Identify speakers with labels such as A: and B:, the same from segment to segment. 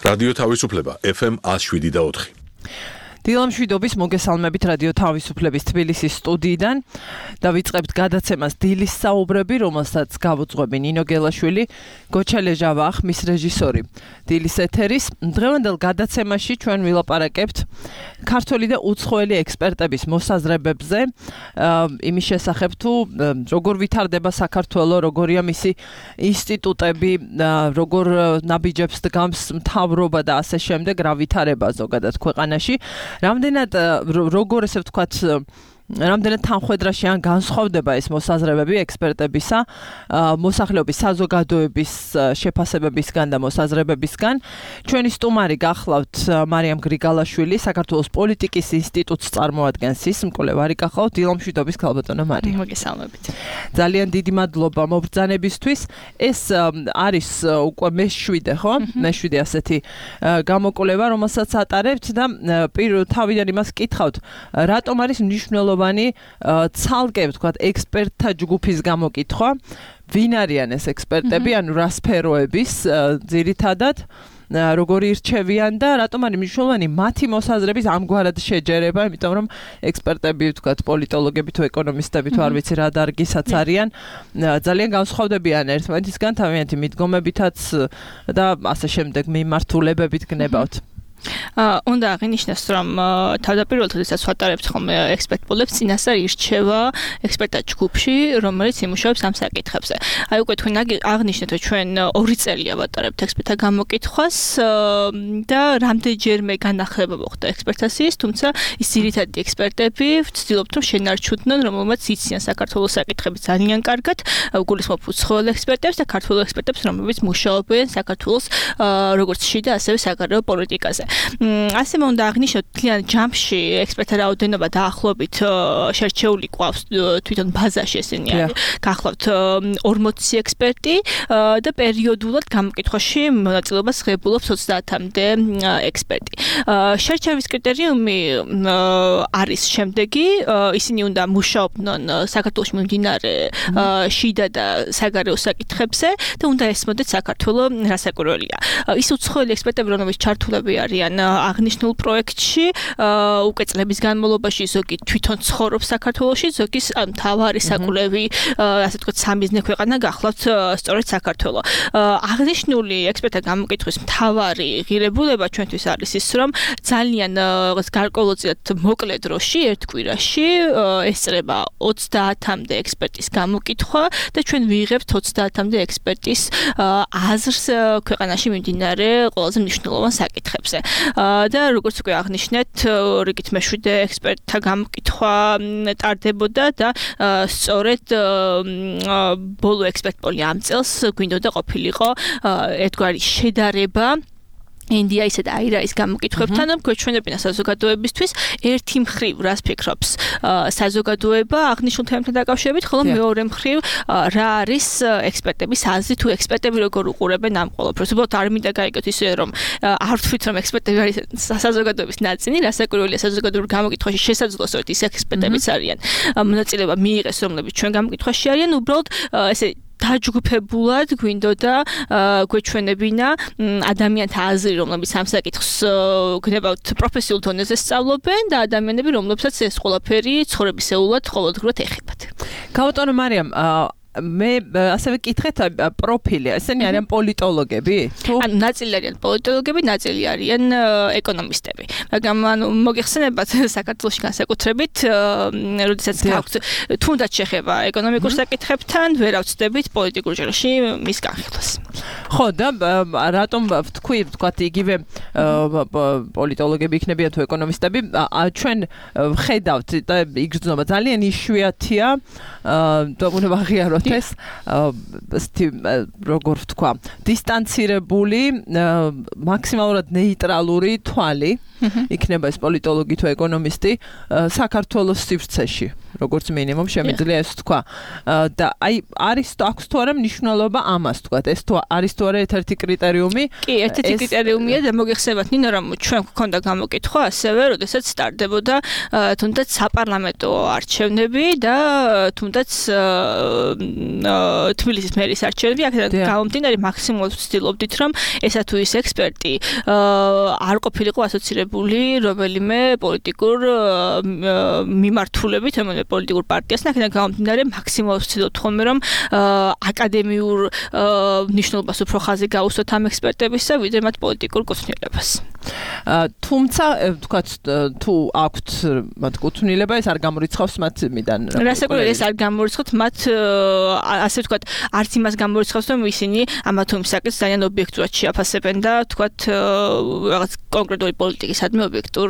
A: რადიო თავისუფლება FM 107.4.
B: დილამშვიდობის მოგესალმებით რადიო თავისუფლების თბილისის სტუდიიდან და ვიწყებთ გადაცემას დილის საუბრები, რომელსაც გავუძღვები ნინო გელაშვილი, გოჩა ლეჟავა, მის რეჟისორი. დილის ეთერის დღევანდელ გადაცემაში ჩვენ ვილაპარაკებთ ქართველი და უცხოელი ექსპერტების მოსაზრებებზე, იმის შესახებ თუ როგორ ვითარდება საქართველო, როგორია მისი ინსტიტუტები, როგორ ნაბიჯებს დგამს მთავრობა და ასე შემდეგ, რა ვითარება ზოგადად ქვეყანაში. რამდენად როგორ ესე ვთქვათ რამდენად თანხვედრაში ან განსხვავდება ეს მოსაზრებები ექსპერტებისა, მოსახლეობის საზოგადოების შეფასებებისგან და მოსაზრებებისგან. ჩვენი სტუმარი გახლავთ მარიამ გრიგალაშვილი, საქართველოს პოლიტიკის ინსტიტუტს წარმოადგენს ის მკვლევარი გახლავთ. დილამშვიდობის ქალბატონო მარიამ.
C: მოგესალმებით.
B: ძალიან დიდი მადლობა მობრძანებისთვის. ეს არის უკვე მე-7, ხო? მე-7 ასეთი გამოკვლევა, რომელსაც ატარებთ და თავიდან იმას კითხავთ, რატომ არის მნიშვნელოვანი ცალკე ვთქვათ ექსპერტთა ჯგუფის გამოკითხვა, ვინ არიან ეს ექსპერტები, ანუ რა სფეროების ძირითადად, როგორი ირჩევიან და რატომ არის მნიშვნელოვანი მათი მოსაზრების ამგვარად შეჯერება, იმიტომ რომ ექსპერტები ვთქვათ პოლიტოლოგები თუ ეკონომისტები თუ არ ვიცი რა დარგისაც არიან, ძალიან განსხვავდებიან ერთმანეთისგან თავიანთი მიდგომებითაც და ასე შემდეგ მიმართულებებით გნებავთ.
C: უნდა აღინიშნოს, რომ თავდაპირველად როდესაც ვატარებთ ხოლმე ექსპერტ პოლებს, წინასწარ ირჩევა ექსპერტთა ჯგუფში, რომელიც იმუშავებს ამ საკითხებზე. აი უკვე თქვენ აღნიშნეთ, რომ ჩვენ 2 წელია ვატარებთ ექსპერტთა გამოკითხვას და რამდენჯერმე განახლება მოხდა ექსპერტაციის, თუმცა ის ძირითადი ექსპერტები ვცდილობთ, რომ შენარჩუნდნენ, რომელმაც იციან საქართველოს საკითხები ძალიან კარგად, გულისხმობ უცხოელ ექსპერტებს და ქართველ ექსპერტებს, რომლებიც მუშაობენ საქართველოს როგორც შიდა, ასევე საგარეო პოლიტიკაზე. ასე უნდა აღნიშნოთ, თლიან ჯამში ექსპერტთა რაოდენობა დაახლოებით შერჩეული ყავს თვითონ ბაზაში ესენი არის. გახლავთ 40 ექსპერტი და პერიოდულად გამოკითხვაში მონაწილეობას ღებულობს 30-მდე ექსპერტი. შერჩევის კრიტერიუმი არის შემდეგი, ისინი უნდა მუშაობდნენ საქართველოში მიმდინარე შიდა და საგარეო საკითხებზე და უნდა ესმოდეთ საქართველო რასაკვირველია. ის უცხოელი ექსპერტები, რომლებიც ჩართულები არიან აღნიშნულ პროექტში, უკვე წლების განმავლობაში ზოგი თვითონ ცხოვრობს საქართველოში, ზოგი მთავარი საკვლევი, ასე ვთქვათ, სამიზნე ქვეყანა გახლავთ სწორედ საქართველო. აღნიშნული ექსპერტთა გამოკითხვის მთავარი ღირებულება ჩვენთვის არის ის, რომ ძალიან გარკვეულწილად მოკლე დროში, ერთ კვირაში ესწრება 30-მდე ექსპერტის გამოკითხვა და ჩვენ ვიღებთ 30-მდე ექსპერტის აზრს ქვეყანაში მიმდინარე ყველაზე მნიშვნელოვან საკითხებზე. და როგორც უკვე აღნიშნეთ, რიგით მე-7 ექსპერტთა გამოკითხვა ტარდებოდა და სწორედ ბოლო ექსპერტ პოლი ამ წელს გვინდოდა ყოფილიყო ერთგვარი შედარება ინდიაისა და აირაის გამოკითხვებთან, რომ გვეჩვენებინა საზოგადოებისთვის ერთი მხრივ რას ფიქრობს საზოგადოება აღნიშნულ თემებთან დაკავშირებით, ხოლო მეორე მხრივ რა არის ექსპერტების აზრი თუ ექსპერტები როგორ უყურებენ ამ ყველაფერს. უბრალოდ არ მინდა გაიგოთ ისე, რომ არ ვთქვით, რომ ექსპერტები არის საზოგადოების ნაწილი, რასაკვირველია საზოგადოებრივ გამოკითხვაში შესაძლოა სწორედ ის ექსპერტებიც არიან მონაწილეობა მიიღეს, რომლებიც ჩვენ გამოკითხვაში არიან, უბრალოდ ესე დაჯგუფებულად გვინდოდა გვეჩვენებინა ადამიანთა აზრი, რომლებიც ამ საკითხს გნებავთ პროფესიულ დონეზე სწავლობენ და ადამიანები, რომლებსაც ეს ყველაფერი ცხოვრებისეულად ყოველდღურად ეხებათ.
B: ქალბატონო მარიამ, მე ასევე კითხეთ პროფილი, ესენი არიან პოლიტოლოგები?
C: ანუ ნაწილი არიან პოლიტოლოგები, ნაწილი არიან ეკონომისტები. მაგრამ მოგეხსენებათ საქართველოში განსაკუთრებით, როდესაც გაქვთ თუნდაც შეხება ეკონომიკურ საკითხებთან, ვერ ავწდებით პოლიტიკურ ჟღერში მის განხილვას.
B: ხო, და რატომ ვთქვათ იგივე პოლიტოლოგები იქნებიან თუ ეკონომისტები, ჩვენ ვხედავთ და იგრძნობა ძალიან იშვიათია და უნდა აღიაროთ ეს როგორ ვთქვა, დისტანცირებული, მაქსიმალურად ნეიტრალური თვალი იქნება ეს პოლიტოლოგი თუ ეკონომისტი საქართველოს სივრცეში. როგორც მინიმუმ შემიძლია ეს თქვა. და აი არის აქვს თუ არა მნიშვნელობა ამას თქვა. ეს თუ არის თუ არა ერთ-ერთი კრიტერიუმი?
C: კი, ერთ-ერთი კრიტერიუმია და მოგეხსენებათ ნინო რომ ჩვენ გვქონდა გამოკითხვა ასევე, როდესაც სტარტდებოდა თუნდაც საპარლამენტო არჩევნები და თუნდაც თბილისის მერის არჩევნები, აქედან გამომდინარე მაქსიმალურად ვცდილობდით რომ ესა თუ ის ექსპერტი არ ყოფილიყო ასოცირებული რომელიმე პოლიტიკურ მიმართულებით, რომელიმე პოლიტიკურ პარტიასთან, აქედან გამომდინარე მაქსიმალურად ვცდილობთ ხოლმე რომ აკადემიურ ნიშნულობას უფრო ხაზი გაუსვათ ამ ექსპერტებისა, ვიდრე მათ პოლიტიკურ კუთვნილებას.
B: თუმცა თქვათ თუ აქვთ მათ კუთვნილება, ეს არ გამორიცხავს მათ მიდან.
C: რასაკვირველია, ეს არ გამორიცხავთ მათ, ასე ვთქვათ, არც იმას გამორიცხავს, რომ ისინი ამა თუ იმ საკითხს ძალიან ობიექტურად შეაფასებენ და თქვათ რაღაც კონკრეტული პოლიტიკისადმი ობიექტურ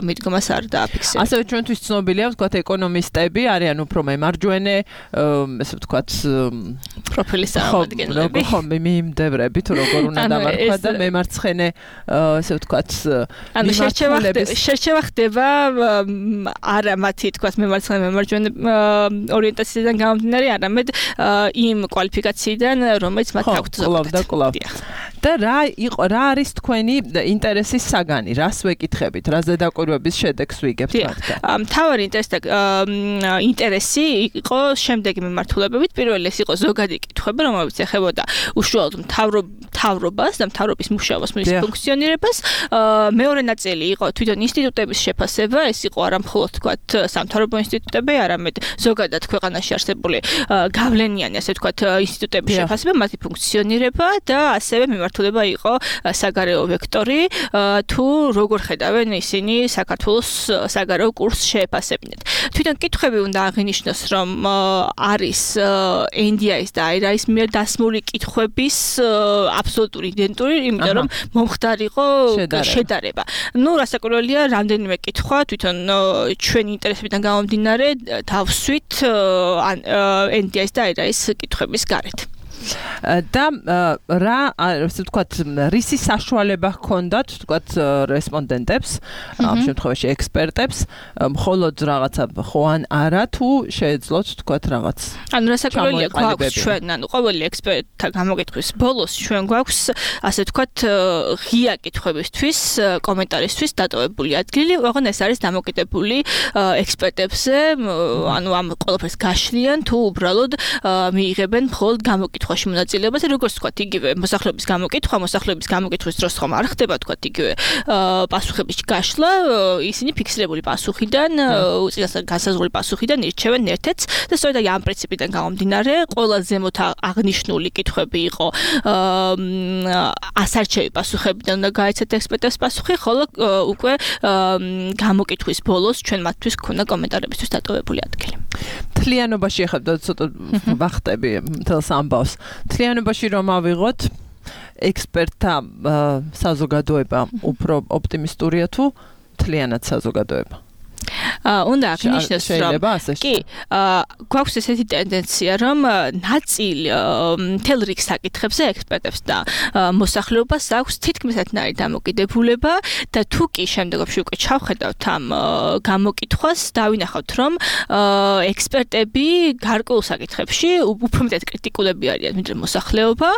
C: მიდგომას არ დააფიქსებენ.
B: ასევე ჩვენთვის ცნობილია, ვთქვათ, ეკონომისტები არიან უფრო მემარჯვენე, ესე ვთქვათ,
C: პროფილის წარმომადგენლები.
B: ხო, მიმდევრები თუ როგორ უნდა დამარხვა და მემარცხენე, ესე ვთქვათ,
C: ანუ შერჩევა ხდება არა მათი თქვათ მემარჯვენე ორიენტაციიდან გამომდინარე, არამედ იმ კვალიფიკაციიდან, რომელიც მათ აქვთ ზოგადად.
B: და რა არის თქვენი ინტერესის საგანი? რას ვეკითხებით? რა ზედაკვირვების შედეგს ვიგებთ მათგან?
C: მთავარი ინტერესი იყო შემდეგი მიმართულებებით. პირველი ეს იყო ზოგადი კითხვები, რომელიც ეხებოდა უშუალოდ მთავრობას და მთავრობის მუშაობას, მის ფუნქციონირებას. მეორე ნაწილი იყო თვითონ ინსტიტუტების შეფასება, ეს იყო არა მხოლოდ თქვათ სამთავრობო ინსტიტუტები, არამედ ზოგადად ქვეყანაში არსებული გავლენიანი, ასე თქვათ, ინსტიტუტების შეფასება, მათი ფუნქციონირება და ასევე მიმართულება იყო საგარეო ვექტორი, თუ როგორ ხედავენ ისინი საქართველოს საგარეო კურსს შეეფასებინათ. თვითონ კითხვები უნდა აღინიშნოს, რომ არის NDI-ის და IRA-ის მიერ დასმული კითხვების აბსოლუტური იდენტური, იმიტომ რომ მომხდარ იყო შედარება. ნუ რასაკვირველია, რამდენიმე კითხვა თვითონ ჩვენი ინტერესებიდან გამომდინარე დავსვით NDI-ის და IRA-ის კითხვების გარეთ.
B: და რა ასე ვთქვათ, რისი საშუალება ჰქონდათ ვთქვათ რესპონდენტებს, ამ შემთხვევაში ექსპერტებს, მხოლოდ რაღაცა ხო ან არა თუ შეეძლოთ ვთქვათ რაღაც.
C: ანუ რასაკვირველია, გვაქვს ჩვენ, ანუ ყოველი ექსპერტთა გამოკითხვის ბოლოს ჩვენ გვაქვს ასე ვთქვათ ღია კითხვებისთვის, კომენტარისთვის დატოვებული ადგილი, ოღონდ ეს არის დამოკიდებული ექსპერტებზე, ანუ ამ ყველაფერს გაშლიან თუ უბრალოდ მიიღებენ მხოლოდ გამოკითხვაში მონაწილეობას, როგორც ვთქვათ, იგივე მოსახლეობის გამოკითხვის დროს ხომ არ ხდება ვთქვათ იგივე პასუხების გაშლა, ისინი ფიქსირებული პასუხიდან, უწინასწარ განსაზღვრული პასუხიდან ირჩევენ ერთ-ერთს და სწორედ ამ პრინციპიდან გამომდინარე, ყველა ზემოთ აღნიშნული კითხვები იყო ასარჩევი პასუხებიდან უნდა გაეცათ ექსპერტებს პასუხი, ხოლო უკვე გამოკითხვის ბოლოს ჩვენ მათთვის გქონდა კომენტარებისთვის დატოვებული ადგილი.
B: თლიანობაში ახლა ცოტა ვახტები მთელს ამბავს. თლიანობაში რომ ავიღოთ ექსპერტთა საზოგადოება უფრო ოპტიმისტურია თუ თლიანად საზოგადოება?
C: უნდა აღინიშნოს, რომ კი, გვაქვს ესეთი ტენდენცია, რომ ნაწილი მთელ რიგ საკითხებზე ექსპერტებს და მოსახლეობას აქვს თითქმის ერთნაირი დამოკიდებულება და თუ კი შემდეგში უკვე ჩავხედავთ ამ გამოკითხვას, დავინახავთ, რომ ექსპერტები გარკვეულ საკითხებში უფრო მეტად კრიტიკულები არიან, ვიდრე მოსახლეობა,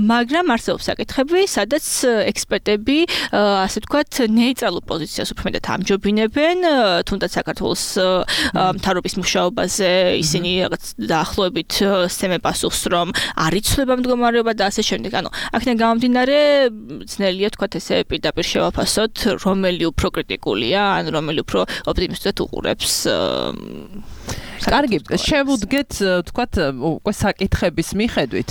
C: მაგრამ არსებობს საკითხები, სადაც ექსპერტები, ასე ვთქვათ, ნეიტრალურ პოზიციას უფრო მეტად ამჯობინებენ, თუნდაც საქართველოს მთავრობის მუშაობაზე ისინი რაღაც დაახლოებით სცემენ პასუხს, რომ არ იცვლება მდგომარეობა და ასე შემდეგ. ანუ აქედან გამომდინარე, ძნელია თქვათ ესე პირდაპირ შევაფასოთ, რომელი უფრო კრიტიკულია, ან რომელი უფრო ოპტიმისტურად უყურებს.
B: კარგი, შევუდგეთ თქვათ უკვე საკითხების მიხედვით.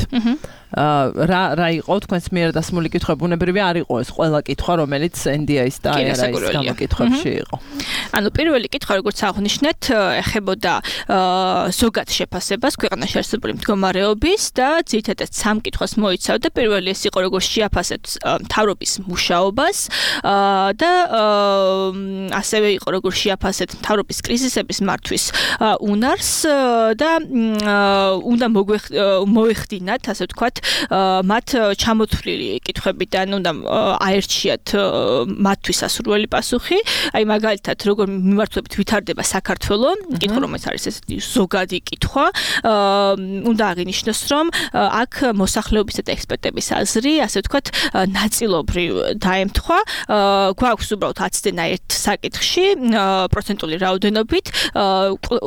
B: რა იყო თქვენს მიერ დასმული კითხვები? ბუნებრივია არ იყო ეს ყველა კითხვა, რომელიც NDI-ის და IRA-ის გამოკითხვებში იყო.
C: ანუ პირველი კითხვა, როგორც აღნიშნეთ, ეხებოდა ზოგად შეფასებას ქვეყანაში არსებული მდგომარეობის და ძირითადად სამ კითხვას მოიცავდა. პირველი ეს იყო, როგორც შეაფასეთ მთავრობის მუშაობას და ასევე იყო, როგორც შეაფასეთ მთავრობის კრიზისების მართვის უნარს და უნდა მოეხდინათ, ასე ვთქვათ, მათ ჩამოთვლილი კითხვებიდან უნდა აერჩიათ მათთვის სასურველი პასუხი. აი მაგალითად, როგორ მიმართულებით ვითარდება საქართველო, კითხვა რომელიც არის ესეთი ზოგადი კითხვა, უნდა აღინიშნოს, რომ აქ მოსახლეობისა და ექსპერტების აზრი, ასე ვთქვათ, ნაწილობრივ დაემთხვა. გვაქვს უბრალოდ აცდენა ერთ საკითხში პროცენტული რაოდენობით,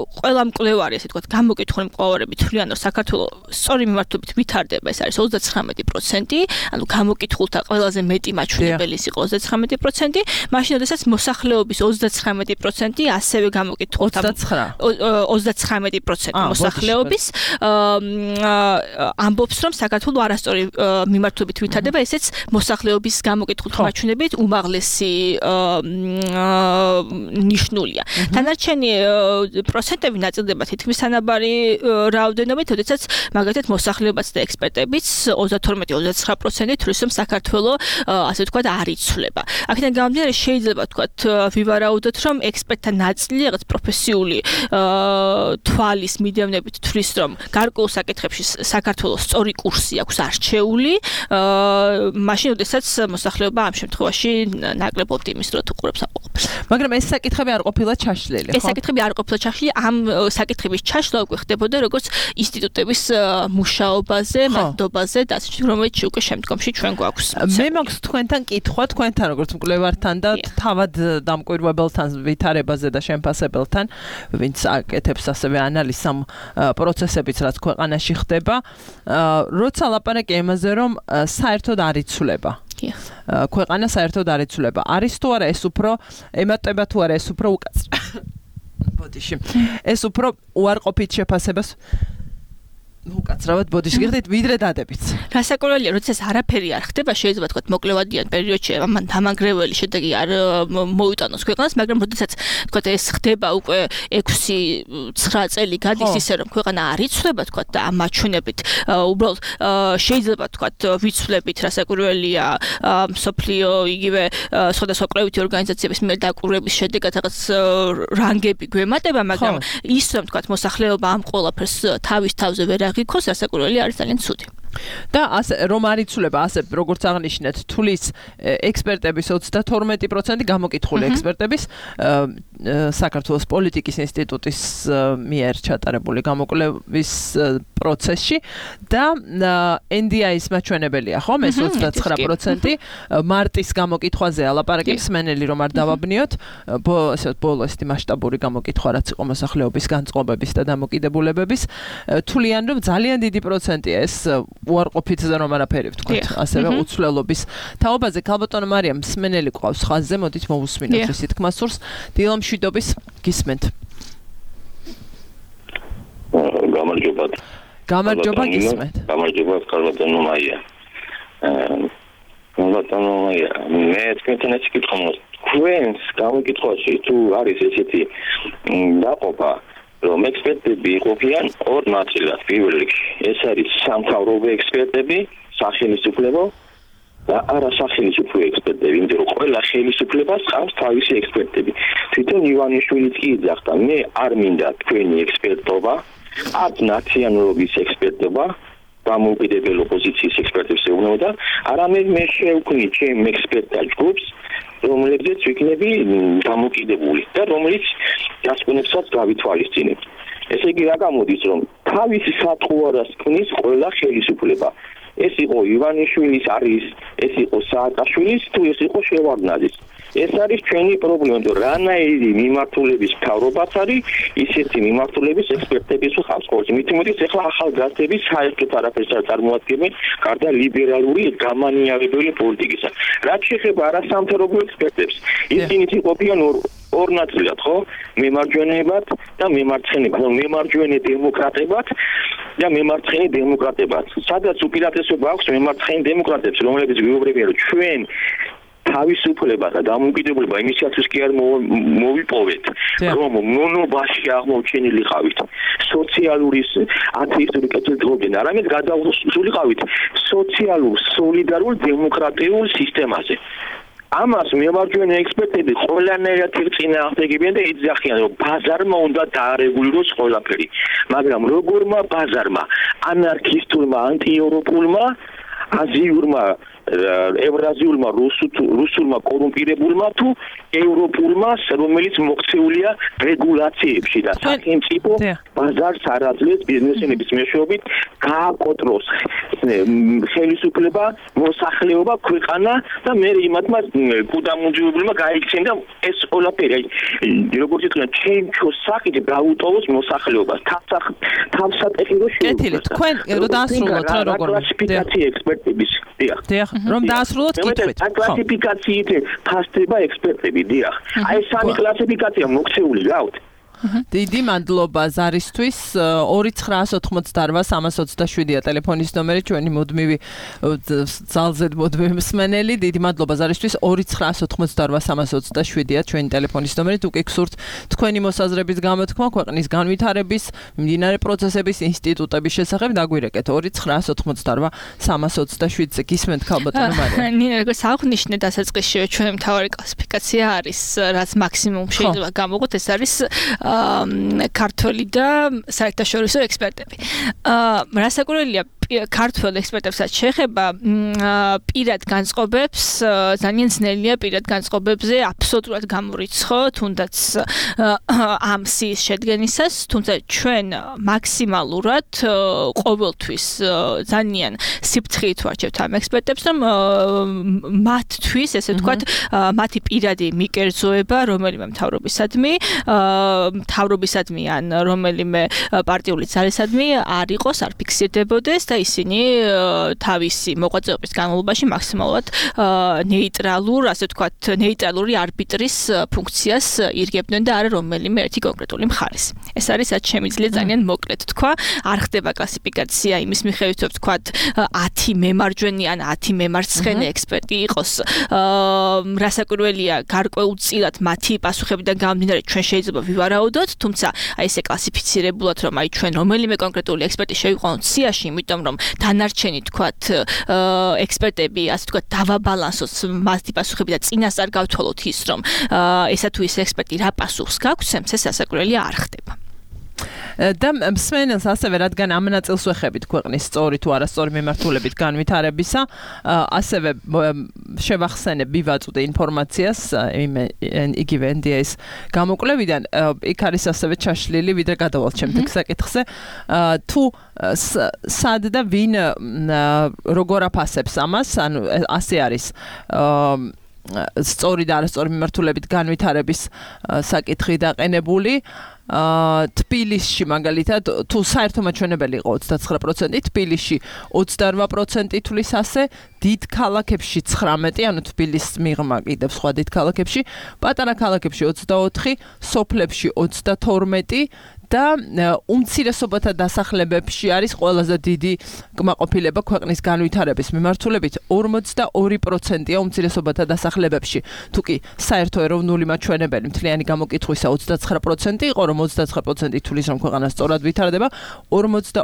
C: ყველა მკვლევარი, ასე ვთქვათ, გამოკითხული მკვლევარები თვლიან, რომ საქართველოს სწორი მიმართულებით ვითარდება, ეს არის 39%, ანუ გამოკითხულთა ყველაზე მეტი მაჩვენებელი იყო 39%, მაშინ როდესაც მოსახლეობის 39% ასევე გამოკითხულთა 39% მოსახლეობის ამბობს, რომ საქართველოს არასწორი მიმართულებით ვითარდება, ესეც მოსახლეობის გამოკითხულთა მაჩვენებით უმაღლესი ნიშნულია. თანარჩენი პროცენტები ნაწილდება თითქმის თანაბარი რაოდენობით, როდესაც მაგალითად მოსახლეობაც და ექსპერტებიც 32-39% თვლის, რომ საქართველოს ასე ვთქვათ არ იცვლება. აქედან გამომდინარე შეიძლება ვთქვათ ვივარაუდოთ, რომ ექსპერტთა ნაწილი რაღაც პროფესიული თვალის მიდევნებით თვლის, რომ გარკვეულ საკითხებში საქართველოს სწორი კურსი აქვს არჩეული, მაშინ როდესაც მოსახლეობა ამ შემთხვევაში ნაკლებ ოპტიმისტურად უყურებს ამ ყოფილს.
B: მაგრამ ეს საკითხები არ ყოფილა ჩაშლილი, ხო?
C: ეს საკითხები არ ყოფილა ჩაშლილი, ამ საკითხების ჩაშლა უკვე ხდებოდა როგორც ინსტიტუტების მუშაობაზე, მადობაზე და ასე შემდეგ, რომელიც უკვე შემდგომში ჩვენ გვაქვს.
B: მე მაქვს თქვენთან კითხვა, თქვენთან როგორც მკვლევართან და თავად დამკვირვებელთან ვითარებაზე და შემფასებელთან, ვინც აკეთებს ასევე ანალიზს ამ პროცესებიც, რაც ქვეყანაში ხდება, როცა ლაპარაკი იმაზე, რომ საერთოდ არ იცვლება. ქვეყანა საერთოდ არ იცვლება. არის თუ არა ეს უფრო ემატება თუ არა ეს უფრო უკაცრიელ. ბოდიში. ეს უფრო უარყოფით შეფასებას უკაცრავად ბოდიში გიხდით ვიდრე დადებით.
C: რასაკურველია, როდესაც არაფერი არ ხდება, შეიძლება თქვა მოკლევადიან პერიოდში ამან დამანგრეველი შედეგი არ მოიტანოს ქვეყანას, მაგრამ როდესაც თქვა ეს ხდება უკვე 6-9 წელი გადის ისე რომ ქვეყანა არ იცვლება თქვა და ამ მაჩვენებით უბრალოდ შეიძლება თქვა ვიცვლებით რასაკურველია სოფლიო იგივე სხვადასხვა კვლევითი ორგანიზაციების მიერ დაკვირვების შედეგად რაღაც რანგები გვემატება, მაგრამ ის რომ თქვა მოსახლეობა ამ ყველაფერს თავის თავზე ვერ გიქოს რასაკურველი არის ძალიან ცუდი.
B: და ასე რომ არ იცვლება, ასე როგორც აღნიშნეთ, თulis ექსპერტების 32% გამოკითხული ექსპერტების საქართველოს პოლიტიკის ინსტიტუტის მიერ ჩატარებული გამოკვლევის პროცესში და NDI-ის მაჩვენებელია, ხო? ეს 29% მარტის გამოკითხვაზე ალაპარაკებს მენელი რომ არ დავაბნიოთ, ესე ბოლო ესეთი მასშტაბური გამოკითხვა რაც იყო მოსახლეობის განწყობების და დამოკიდებულებების, თვლიან რომ ძალიან დიდი პროცენტია ეს უარყოფითზე რომ არაფერი ვთქვათ, ასევე უცვლელობის თაობაზე. ქალბატონო მარიამ მსმენელი ყავს ხაზზე, მოდით მოვუსმინოთ ისეთ თქმასურს. დილა მშვიდობის გისმენთ. გამარჯობა გისმენთ.
D: გამარჯობა ქალბატონო მარია. ქალბატონო მარია, მე თქვენთან ეს კითხვა თქვენს გამოკითხვაში თუ არის ესეთი დაყოფა რომ ექსპერტები იყოფიან ორ ნაწილად. პირველ რიგში ეს არის სამთავრობო ექსპერტები, სახელმწიფო და არასახელმწიფო ექსპერტები, იმიტომ რომ ყველა ხელისუფლებას ჰყავს თავისი ექსპერტები. თვითონ ივანიშვილიც კი იძახდა, მე არ მინდა თქვენი ექსპერტობა, არც ნაციონალობის ექსპერტობა, დამოუკიდებელ ოპოზიციის ექსპერტებს ეუბნებოდა, არამედ მე შევქმნი ჩემ ექსპერტთა ჯგუფს, რომლებზეც ვიქნები დამოკიდებული და რომელიც დასკვნებსაც გავითვალისწინებ. ესე იგი რა გამოდის, რომ თავისი სათხოვარას ქმნის ყველა ხელისუფლება. ეს იყო ივანიშვილის არის, ეს იყო სააკაშვილის, თუ ეს იყო შევარდნაძის. ეს არის ჩვენი პრობლემა, რომ რანაირი მიმართულების მთავრობაც არის, ისეთი მიმართულების ექსპერტების ხავს ხოლმე. მით უმეტეს ახლა ახალგაზრდები საერთოდ არაფერს არ წარმოადგენენ, გარდა ლიბერალური გამანიავებელი პოლიტიკისა. რაც შეეხება არასამთავრობო ექსპერტებს, ისინი იყოფიან ორ ნაწილად, ხო? მემარჯვენეებად და მემარცხენეებად. მემარჯვენე დემოკრატებად და მემარცხენე დემოკრატებად. სადაც უპირატესობა აქვს მემარცხენე დემოკრატებს, რომლებიც ვიუბრებიან, რომ ჩვენ თავისუფლება და დამოუკიდებლობა იმისათვის კი არ მოვიპოვეთ, რომ მონობაში აღმოჩენილიყავით სოციალური ათეისტური კეთილდღეობიდან, არამედ გადავსულიყავით სოციალურ, სოლიდარულ, დემოკრატიულ სისტემაზე. ამას მემარჯვენე ექსპერტები ყველანაირად წინააღმდეგებიან და იძახიან, რომ ბაზარმა უნდა დაარეგულიროს ყველაფერი. მაგრამ როგორმა ბაზარმა, ანარქისტულმა, ანტიევროპულმა, აზიურმა, ევრაზიულმა, რუსულმა კორუმპირებულმა თუ ევროპულმა, რომელიც მოქცეულია რეგულაციებში და სახელმწიფო ბაზარს არ აძლევს ბიზნესმენების მეშვეობით გააკოტროს ხელისუფლება, მოსახლეობა, ქვეყანა და მე იმათმა კუდამუნჯუებულმა გაიქცენ და ეს ყველაფერი როგორც ითქვა ჩემჩოს საკითხი გაუტოვოს მოსახლეობას თავსატეხირო
B: შეუძლია თქვენ რო დაასრულოთ რა როგორ
D: კლასიფიკაცია ექსპერტების დიახ
B: რომ დაასრულოთ კითხვით
D: კლასიფიკაციით ფასდება ექსპერტები დიახ აი სამი კლასიფიკაცია მოქცეული გავთ
B: დიდი მადლობა ზარისთვის 2988327-ია ტელეფონის ნომერი ჩვენი მუდმივი ძალზედ მუდმივი მსმენელი დიდი მადლობა ზარისთვის 2988327-ია ჩვენი ტელეფონის ნომერი თუ კი გსურთ თქვენი მოსაზრების გამოთქმა ქვეყნის განვითარების მიმდინარე პროცესების ინსტიტუტების შესახებ დაგვირეკეთ 2988327-ზე გისმენთ ქალბატონო მარია
C: ნინა როგორც აღნიშნე დასაწყისში ჩვენი მთავარი კლასიფიკაცია არის რაც მაქსიმუმ შეიძლება გამოვყოთ ეს არის ქართველი და საერთაშორისო ექსპერტები. რასაკვირველია ქართველ ექსპერტებსაც შეეხება პირად განწყობებს ძალიან ძნელია პირად განწყობებზე აბსოლუტურად გამორიცხო თუნდაც ამ სიის შედგენისას თუმცა ჩვენ მაქსიმალურად ყოველთვის ძალიან სიფრთხილით ვარჩევთ ამ ექსპერტებს რომ მათთვის ესე ვთქვათ მათი პირადი მიკერძოება რომელიმე მთავრობისადმი ან რომელიმე პარტიული ძალისადმი არ იყოს არ ფიქსირდებოდეს და ისინი თავისი მოღვაწეობის განმავლობაში მაქსიმალურად ნეიტრალურ, ასე ვთქვათ, ნეიტრალური არბიტრის ფუნქციას ირგებდნენ და არა რომელიმე ერთი კონკრეტული მხარის. ეს არის რაც შემიძლია ძალიან მოკლედ თქვა, არ ხდება კლასიფიკაცია იმის მიხედვით, რომ ვთქვათ 10 მემარჯვენე ან 10 მემარცხენე ექსპერტი იყოს. რასაკვირველია, გარკვეულწილად მათი პასუხებიდან გამომდინარე ჩვენ შეიძლება ვივარაუდოთ, თუმცა აი ესე კლასიფიცირებულად რომ აი ჩვენ რომელიმე კონკრეტული ექსპერტი შევიყვანოთ სიაში, იმიტომ რომ დანარჩენი თქვათ ექსპერტები ასე თქვათ დავაბალანსოს მასი პასუხები და წინასწარ გავთვალოთ ის რომ ესა თუ ის ექსპერტი რა პასუხს გაგცემს ეს ასაკურველი არ ხდება
B: და მსმენელს ასევე რადგან ამ ნაწილს ვეხებით ქვეყნის სწორი თუ არასწორი მიმართულებით განვითარებისა ასევე შევახსენებ ვივაწვდე ინფორმაციას იგივე NDA-ის გამოკვლევიდან იქ არის ასევე ჩაშლილი ვიდრე გადავალთ შემდეგ საკითხზე თუ სად და ვინ როგორ აფასებს ამას ანუ ასე არის სწორი და არასწორი მიმართულებით განვითარების საკითხი დაყენებული თბილისში მაგალითად თუ საერთო მაჩვენებელი იყო 29%, თბილისში 28% თulis ასე, დიდ ქალაქებში 19, ანუ თბილისს მიღმა კიდევ სხვა დიდ ქალაქებში, პატარა ქალაქებში 24, სოფლებში 32 და უმცირესობათა დასახლებებში არის ყველაზე დიდი კმაყოფილება ქვეყნის განვითარების მიმართულებით 42%-ია უმცირესობათა დასახლებებში. თუკი საერთო ეროვნული მაჩვენებელი მთლიანი გამოკითხვისა 29% იყო, რომ 29% თulis რომ ქვეყანა სწორად ვითარდება, 42%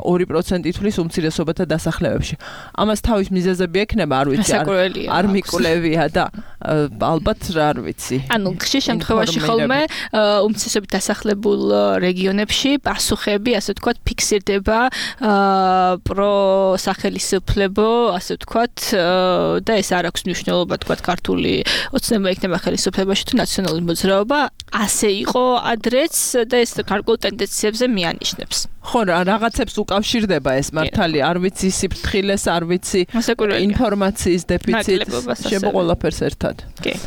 B: თulis უმცირესობათა დასახლებებში. ამას თავის მიზეზები ექნება, არ ვიცი, არ მიკვლევია და ალბათ რა არ ვიცი.
C: ანუ ხშირ შემთხვევაში ხოლმე უმცირესობითად დასახლებულ რეგიონებში პასუხები, ასე ვთქვათ, ფიქსირდება პროსახელისუფლებო, ასე ვთქვათ, და ეს არ აქვს მნიშვნელობა, ვთქვათ, ქართული ოცნება იქნება ხელისუფლებაში თუ ნაციონალური მოძრაობა, ასე იყო ადრეც და ეს გარკვეულ ტენდენციებზე მიანიშნებს.
B: ხო, რაღაცებს უკავშირდება ეს მართალი, არ ვიცი სიფრთხილეს, არ ვიცი ინფორმაციის დეფიციტს, შემოყოლაფერს ერთად.
C: კი.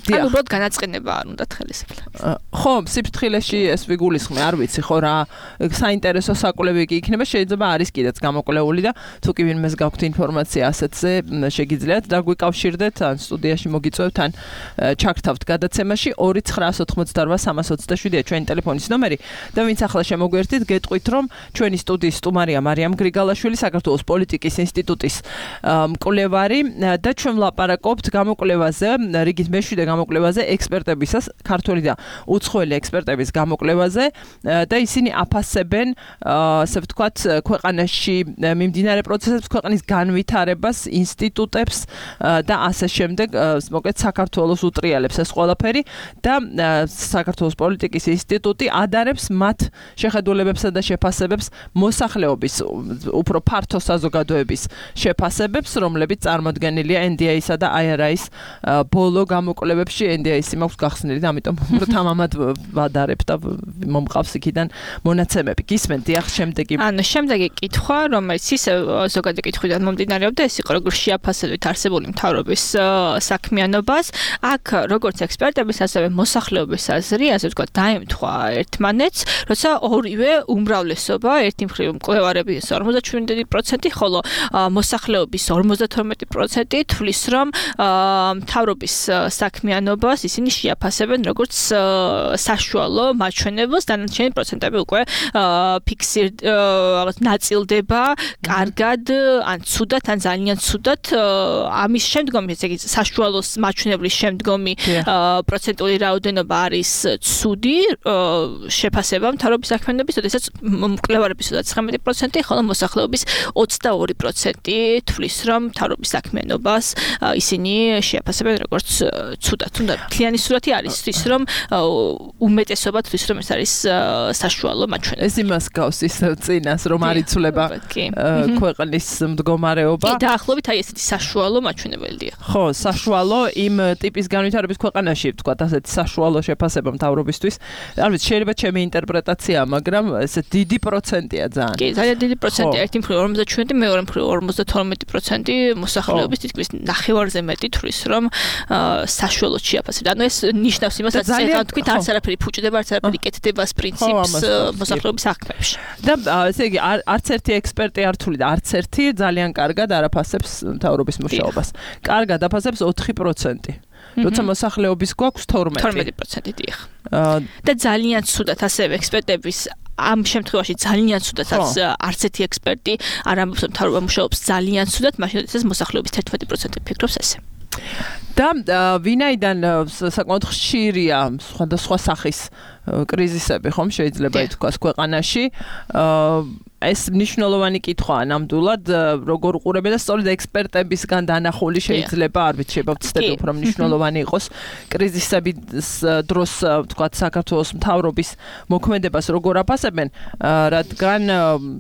C: ანუ უბრალოდ განაწყენება არ უნდათ ხელისუფლებას.
B: ხო, სიფრთხილეში ეს ვიგულისხმე, არ ვიცი, ხო რა, საინტერესო საკვლევი კი იქნება, შეიძლება არის კიდეც გამოკვლეული და თუ კი ვინმეს გაქვთ ინფორმაცია ასეთზე, შეგიძლიათ დაგვიკავშირდეთ, ან სტუდიაში მოგიწევთ, ან ჩაგთავთ გადაცემაში 2988327-ია ჩვენი ტელეფონის ნომერი და ვინც ახლა შემოგვერთით, გეტყვით, რომ ჩვენი სტუდიის სტუმარია მარიამ გრიგალაშვილი, საქართველოს პოლიტიკის ინსტიტუტის მკვლევარი და ჩვენ ვლაპარაკობთ გამოკვლევაზე, რიგით მეშვიდე გამოკვლევაზე, ექსპერტებისას, ქართული და უცხოელი ექსპერტების გამოკვლევაზე და ისინი აფასებენ, ასე ვთქვათ, ქვეყანაში მიმდინარე პროცესებს, ქვეყნის განვითარებას, ინსტიტუტებს და ასე შემდეგ, მოკლედ საქართველოს უტრიალებს ეს ყველაფერი და საქართველოს პოლიტიკის ინსტიტუტი ადარებს მათ შეხედულებებსა და შეფასებებს მოსახლეობის უფრო ფართო საზოგადოების შეფასებებს, რომლებიც წარმოდგენილია NDI-სა და IRI-ის ბოლო გამოკვლევებში. NDI-ი მაქვს გახსნილი და ამიტომ თამამად ვადარებ და მომყავს იქიდან მონაცემები. გისმენთ, დიახ, შემდეგი.
C: ანუ შემდეგი კითხვა, რომელიც ისე ზოგადი კითხვიდან მომდინარეობდა, ეს იყო როგორ შეაფასებთ არსებული მთავრობის საქმიანობას. აქ როგორც ექსპერტების, ასევე მოსახლეობის აზრი, ასე ვთქვათ, დაემთხვა ერთმანეთს, როცა ორივე უმრავლესობა, ერთი მხრივ მკვლევარების 57%, ხოლო მოსახლეობის 52% თვლის, რომ მთავრობის საქმიანობას ისინი შეაფასებენ როგორც საშუალო მაჩვენებელს, დანარჩენი პროცენტები უკვე ნაწილდება კარგად, ან ცუდად, ან ძალიან ცუდად. ამის შემდგომი, ესე იგი, საშუალო მაჩვენებლის შემდგომი პროცენტული რაოდენობა არის ცუდი შეფასება მთავრობის საქმიანობის, როდესაც მკვლევარების 19%, ხოლო მოსახლეობის 22% თვლის, რომ მთავრობის საქმიანობას ისინი შეაფასებენ როგორც ცუდად. თუნდაც მთლიანი სურათი არის ის, რომ უმეტესობა თვლის, რომ ეს არის საშუალო მაჩვენებელი.
B: ეს იმას გავს ის წინას, რომ არ იცვლება ქვეყნის მდგომარეობა.
C: კი, დაახლოებით აი ესეთი საშუალო მაჩვენებელია.
B: ხო, საშუალო იმ ტიპის განვითარების ქვეყანაში, ვთქვათ, ასეთი საშუალო შეფასება მთავრობისთვის. არ ვიცი, შეიძლება ჩემი ინტერპრეტაციაა, მაგრამ ესე დიდი პროცენტია ძალიან.
C: კი, ძალიან დიდი პროცენტია. ერთი მხრივ 57, მეორე მხრივ 52% მოსახლეობის თითქმის ნახევარზე მეტი თვლის, რომ საშუალოდ შეაფასებთ. ანუ ეს ნიშნავს იმას, რაც ახლა თქვით, არც არაფერი ფუჭდება, არც არაფერი კეთდება ეს პრინციპს მოსახლეობის საქმეებში.
B: და ესე იგი, არც ერთი ექსპერტი არ თვლიდა, არც ერთი ძალიან კარგად არ აფასებს მთავრობის მუშაობას. კარგად აფასებს 4%. როცა მოსახლეობის გვაქვს
C: 12%, დიახ. და ძალიან ცუდად ასევე ექსპერტების ამ შემთხვევაში ძალიან ცუდად არც ერთი ექსპერტი არ ამბობს, რომ მთავრობა მუშაობს ძალიან ცუდად, მაშინ როდესაც მოსახლეობის 11% ფიქრობს ესე.
B: და ვინაიდან საკმაოდ ხშირია სხვადასხვა სახის კრიზისები, ხომ შეიძლება ითქვას ქვეყანაში, ეს მნიშვნელოვანი კითხვაა ნამდვილად, როგორ უყურებენ და სწორედ ექსპერტებისგან დანახული შეიძლება, არ ვიცი, შეიძლება ვცდები უფრო მნიშვნელოვანი იყოს კრიზისების დროს, ვთქვათ, საქართველოს მთავრობის მოქმედებას როგორ აფასებენ, რადგან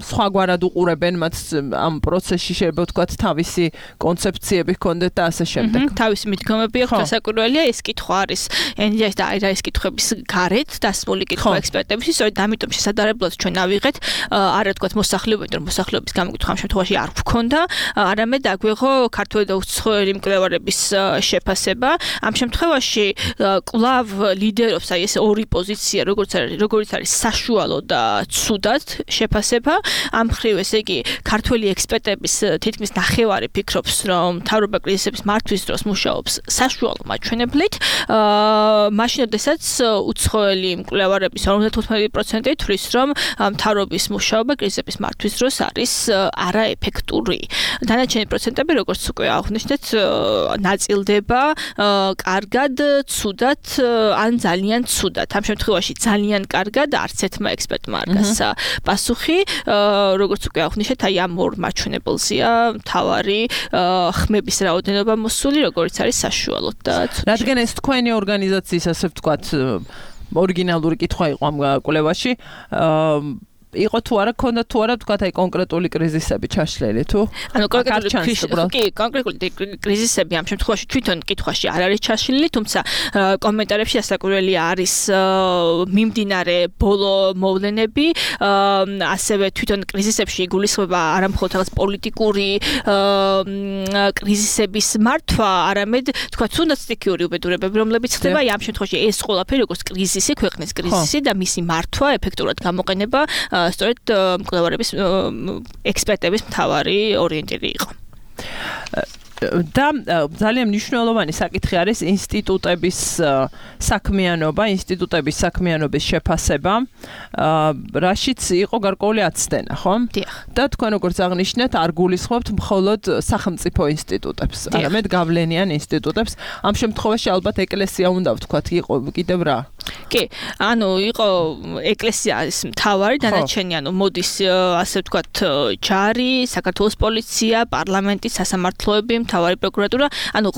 B: სხვაგვარად უყურებენ მათ ამ პროცესში შეიძლება ვთქვათ თავისი კონცეფციები ჰქონდეთ და ასე შემდეგ.
C: თავისი მიდგომები აქვს, დასაკვირველია, ეს კითხვა არის NDI-ის და IRI-ის კითხვების გარეთ დასმული კითხვა ექსპერტების, სწორედ ამიტომ შესაძლებლად ჩვენ ავიღეთ არა თქვა მოსახლეობის გამოკითხვა ამ შემთხვევაში არ ვქონდა, არამედ აგვიღო ქართული და უცხოელი მკვლევარების შეფასება. ამ შემთხვევაში კვლავ ლიდერობს აი ეს ორი პოზიცია, როგორც არის საშუალო და ცუდად შეფასება. ამ მხრივ ესე იგი ქართული ექსპერტების თითქმის ნახევარი ფიქრობს, რომ მთავრობა კრიზისების მართვის დროს მუშაობს საშუალო მაჩვენებლით. მაშინ როდესაც უცხოელი მკვლევარების 55% თვლის, რომ მთავრობის მუშაობა კრიზისების მართვის დროს არის არაეფექტური. დანარჩენი პროცენტები, როგორც უკვე აღნიშნეთ, ნაწილდება კარგად, ცუდად ან ძალიან ცუდად. ამ შემთხვევაში ძალიან კარგად არც ერთმა ექსპერტმა არ გასცა პასუხი, როგორც უკვე აღნიშნეთ, აი ამ ორ მაჩვენებელზეა მთავარი ხმების რაოდენობა მოსული, როგორც არის საშუალოდ და ცუდად.
B: რადგან ეს თქვენი ორგანიზაციის, ასე ვთქვათ, ორიგინალური კითხვა იყო ამ კვლევაში, იყო თუ არა, ქონდა თუ არა, თქვათ, აი კონკრეტული კრიზისები ჩაშლილი თუ?
C: ანუ კონკრეტული კრიზისები ამ შემთხვევაში თვითონ კითხვაში არ არის ჩაშლილი, თუმცა კომენტარებში ასაკურველი არის მიმდინარე ბოლო მოვლენები, ასევე თვითონ კრიზისებში იგულისხმება არა მხოლოდ რაღაც პოლიტიკური კრიზისების მართვა, არამედ თქვათ, თუნდაც სტიქიური უბედურებები, რომლებიც ხდება, ამ შემთხვევაში ეს ყველაფერი როგორც კრიზისი, ქვეყნის კრიზისი და მისი მართვა ეფექტურად გამოყენება სწორედ მკვლევარების ექსპერტების მთავარი ორიენტირი იყო.
B: და ძალიან მნიშვნელოვანი საკითხი არის ინსტიტუტების საქმიანობის შეფასება, რაშიც იყო გარკვეული აცდენა, ხო? და თქვენ როგორც აღნიშნეთ, არ გულისხმობთ მხოლოდ სახელმწიფო ინსტიტუტებს, არამედ გავლენიან ინსტიტუტებს. ამ შემთხვევაში ალბათ ეკლესია უნდა ვთქვათ, იყო კიდევ რა?
C: კი, იყო ეკლესია არის მთავარი, დანარჩენი მოდის ასე ვთქვათ ჯარი, საქართველოს პოლიცია, პარლამენტი, სასამართლოები, მთავარი პროკურატურა,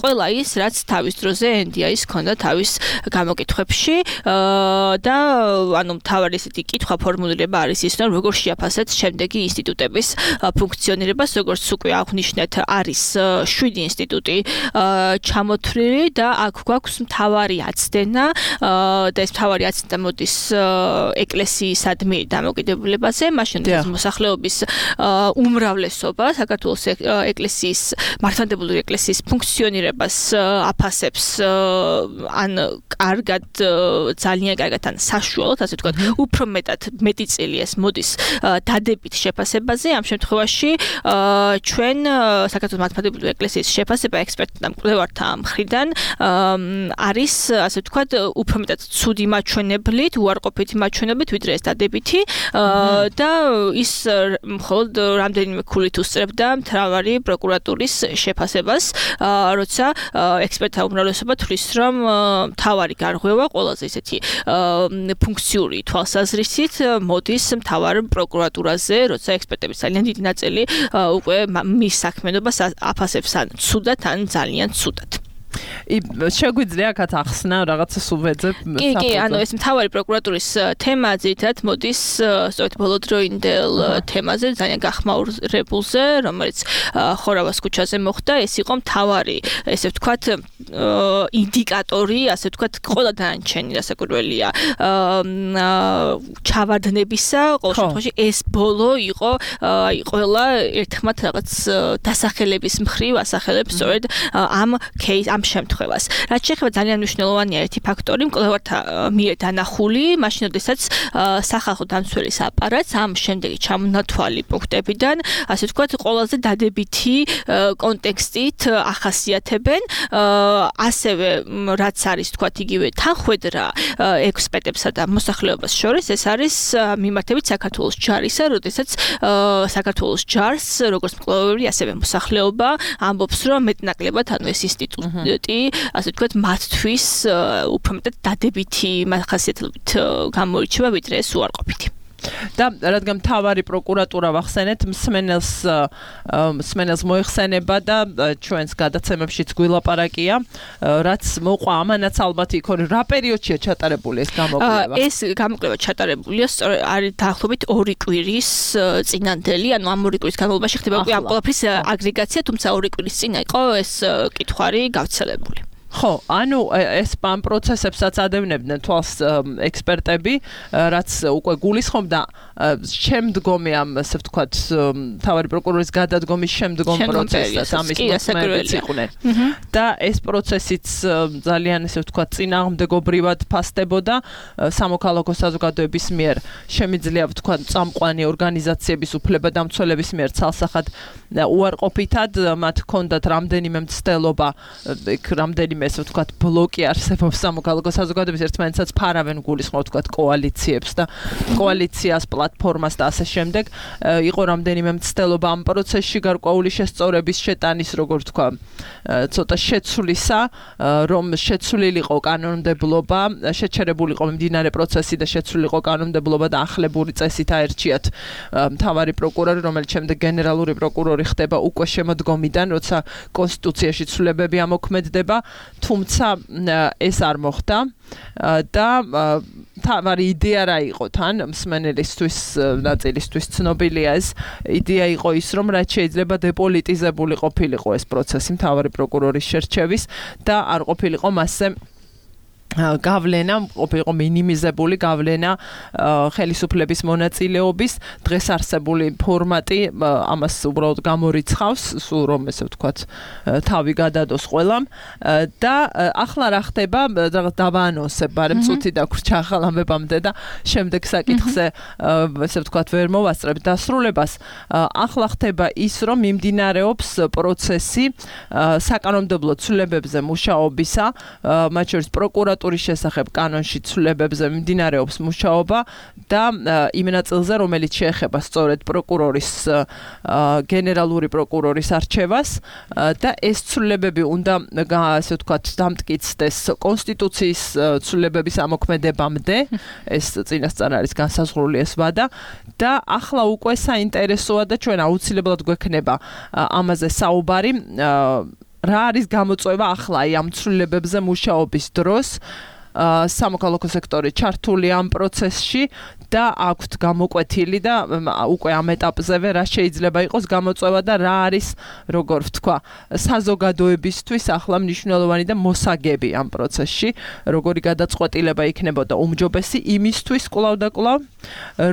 C: ყველა ის, რაც თავის დროზე NDI-ს ჰქონდა თავის გამოკითხვებში და მთავარი ესეთი კითხვა ფორმულირება არის ის, რომ როგორ შეაფასეთ შემდეგი ინსტიტუტების ფუნქციონირებას, როგორც უკვე აღნიშნეთ, არის 7 ინსტიტუტი ჩამოთვლილი და აქ გვაქვს მთავარი აცდენა და ეს მთავარი აცდენა მოდის ეკლესიისადმი დამოკიდებულებაზე, მაშინ მოსახლეობის უმრავლესობა საქართველოს ეკლესიის მართლმადიდებლური ეკლესიის ფუნქციონირებას აფასებს კარგად, ძალიან კარგად, საშუალოდ, ასე ვთქვათ, უფრო მეტი წილი ეს მოდის დადებით შეფასებაზე. ამ შემთხვევაში ჩვენ საქართველოს მართლმადიდებლური ეკლესიის შეფასება ექსპერტთა მკვლევართა მხრიდან არის, ასე ვთქვათ, უფრო მეტად ცუდი მაჩვენებლით, უარყოფითი მაჩვენებლით, ვიდრე ეს დადებითი და ის მხოლოდ რამდენიმე ქულით უსწრებდა მთავარი პროკურატურის შეფასებას, როცა ექსპერტთა უმრავლესობა თვლის, რომ მთავარი გარღვევა ყველაზე ისეთი ფუნქციური თვალსაზრისით მოდის მთავარ პროკურატურაზე, როცა ექსპერტების ძალიან დიდი ნაწილი უკვე მის საქმიანობას აფასებს ან ცუდად, ან ძალიან ცუდად.
B: შეგვიძლია აქაც ახსნა რაღაცა სუბეძებ.
C: კი, ეს მთავარი პროკურატურის თემა ძირითადად მოდის სწორედ ბოლოდროინდელ თემაზე, ძალიან გახმაურებულზე, რომელიც ხორავას ქუჩაზე მოხდა. ეს იყო მთავარი, ესე ვთქვათ, ინდიკატორი, ასე ვთქვათ, ყველა დანარჩენი რასაკვირველია ჩავარდნებისა. ყოველ შემთხვევაში ეს ბოლო იყო ყველა ერთხმად რაღაც დასახელების მხრივ ასახელებს სწორედ ამ შემთხვევას. რაც შეეხება ძალიან მნიშვნელოვანია ერთი ფაქტორი, მკვლევართა მიერ დანახული, მაშინ როდესაც სახალხო დამცველის აპარატს ამ შემდეგი ჩამონათვალი პუნქტებიდან, ასე ვთქვათ, ყველაზე დადებითი კონტექსტით ახასიათებენ, ასევე რაც არის, ვთქვათ, იგივე თანხwebdriver ექსპერტებსა და მოსახლეობას შორის, ეს არის მიმართებით საქართველოს ჯარისა, როდესაც საქართველოს ჯარს, როგორც მკვლევარი, ასევე მოსახლეობა ამბობს, რომ მეტნაკლებად ეს ინსტიტუტი ასე ვთქვათ, მათთვის უფრო მეტად დადებითი ხასიათებით გამოირჩევა, ვიდრე ეს უარყოფითი.
B: და რადგან მთავარი პროკურატურა ვახსენეთ, მსმენელს მოიხსენება და ჩვენს გადაცემებშიც გვილაპარაკია, რაც მოყვა ამანაც ალბათ იქ რა პერიოდშია ჩატარებული ეს გამოკვლევა?
C: ეს გამოკვლევა ჩატარებულია არის დაახლოებით 2 კვირის წინანდელი, ამ 2 კვირის განმავლობაში ხდება უკვე ამ ყველაფრის აგრეგაცია, თუმცა 2 კვირის წინ იყო ეს კითხვარი გავრცელებული.
B: ხო, ეს ამ პროცესებსაც ადევნებდნენ თვალს ექსპერტები, რაც უკვე გულისხმობდა შემდგომი ამ, ასე ვთქვათ, მთავარი პროკურორის გადადგომის შემდგომ პროცესს, ამის მოწმეებიც იყვნენ. და ეს პროცესიც ძალიან, ასე ვთქვათ, წინააღმდეგობრივად ფასდებოდა სამოქალაქო საზოგადოების მიერ შემიძლია ვთქვათ წამყვანი ორგანიზაციების უფლებადამცველების მიერ ცალსახად უარყოფითად, მათ ჰქონდათ რამდენიმე მცდელობა, რამდენიმე ესე ვთქვათ ბლოკი არსებობს სამოქალაქო საზოგადოების ერთმანეთსაც ფარავენ გულისხმობ ვთქვათ კოალიციებს და კოალიციას პლატფორმას და ასე შემდეგ. იყო რამდენიმე მცდელობა ამ პროცესში გარკვეული შესწორების შეტანის, როგორ ვთქვა, ცოტა შეცვლისა, რომ შეცვლილიყო კანონმდებლობა, შეჩერებულიყო მიმდინარე პროცესი და შეცვლილიყო კანონმდებლობა და ახლებური წესით აერჩიათ მთავარი პროკურორი, რომელიც შემდეგ გენერალური პროკურორი ხდება უკვე შემოდგომიდან, როცა კონსტიტუციაში ცვლილებები ამოქმედდება. თუმცა ეს არ მოხდა და თავარი იდეა რა იყო თან მსმენელისთვის ნაწილისთვის ცნობილია ეს იდეა იყო ის რომ რაც შეიძლება დეპოლიტიზებული ყოფილიყო ეს პროცესი მთავარი პროკურორის შერჩევის და არ ყოფილიყო მასზე გავლენა ყოფილიყო მინიმიზებული გავლენა ხელისუფლების მონაწილეობის დღეს არსებული ფორმატი ამას უბრალოდ გამორიცხავს სულ რომ ესე ვთქვათ თავი გადადოს ყველამ და ახლა რა ხდება რაღაც დავაანონსებ მაგრამ წუთი დაგვრჩა ახალ ამბებამდე და შემდეგ საკითხზე ესე ვთქვათ ვერ მოვასწრებ დასრულებას ახლა ხდება ის რომ მიმდინარეობს პროცესი საკანონმდებლო ცვლილებებზე მუშაობისა მათ შორის პროკურატურის შესახებ კანონში ცვლილებებზე მიმდინარეობს მუშაობა და იმ ნაწილზე რომელიც შეეხება სწორედ პროკურორის გენერალური პროკურორის არჩევას და ეს ცვლილებები უნდა ასე ვთქვათ დამტკიცდეს კონსტიტუციის ცვლილებების ამოქმედებამდე ეს წინასწარ არის განსაზღვრული ეს ვადა და ახლა უკვე საინტერესოა და ჩვენ აუცილებლად გვექნება ამაზე საუბარი რა არის გამოწვევა ახლა ამ ცვლილებებზე მუშაობის დროს სამოქალაქო სექტორი ჩართული ამ პროცესში და აქვთ გამოკვეთილი და უკვე ამ ეტაპზევე რა შეიძლება იყოს გამოწვევა და რა არის როგორ ვთქვა საზოგადოებისთვის ახლა მნიშვნელოვანი და მოსაგები ამ პროცესში როგორი გადაწყვეტილება იქნებოდა უმჯობესი იმისთვის კვლავ და კვლავ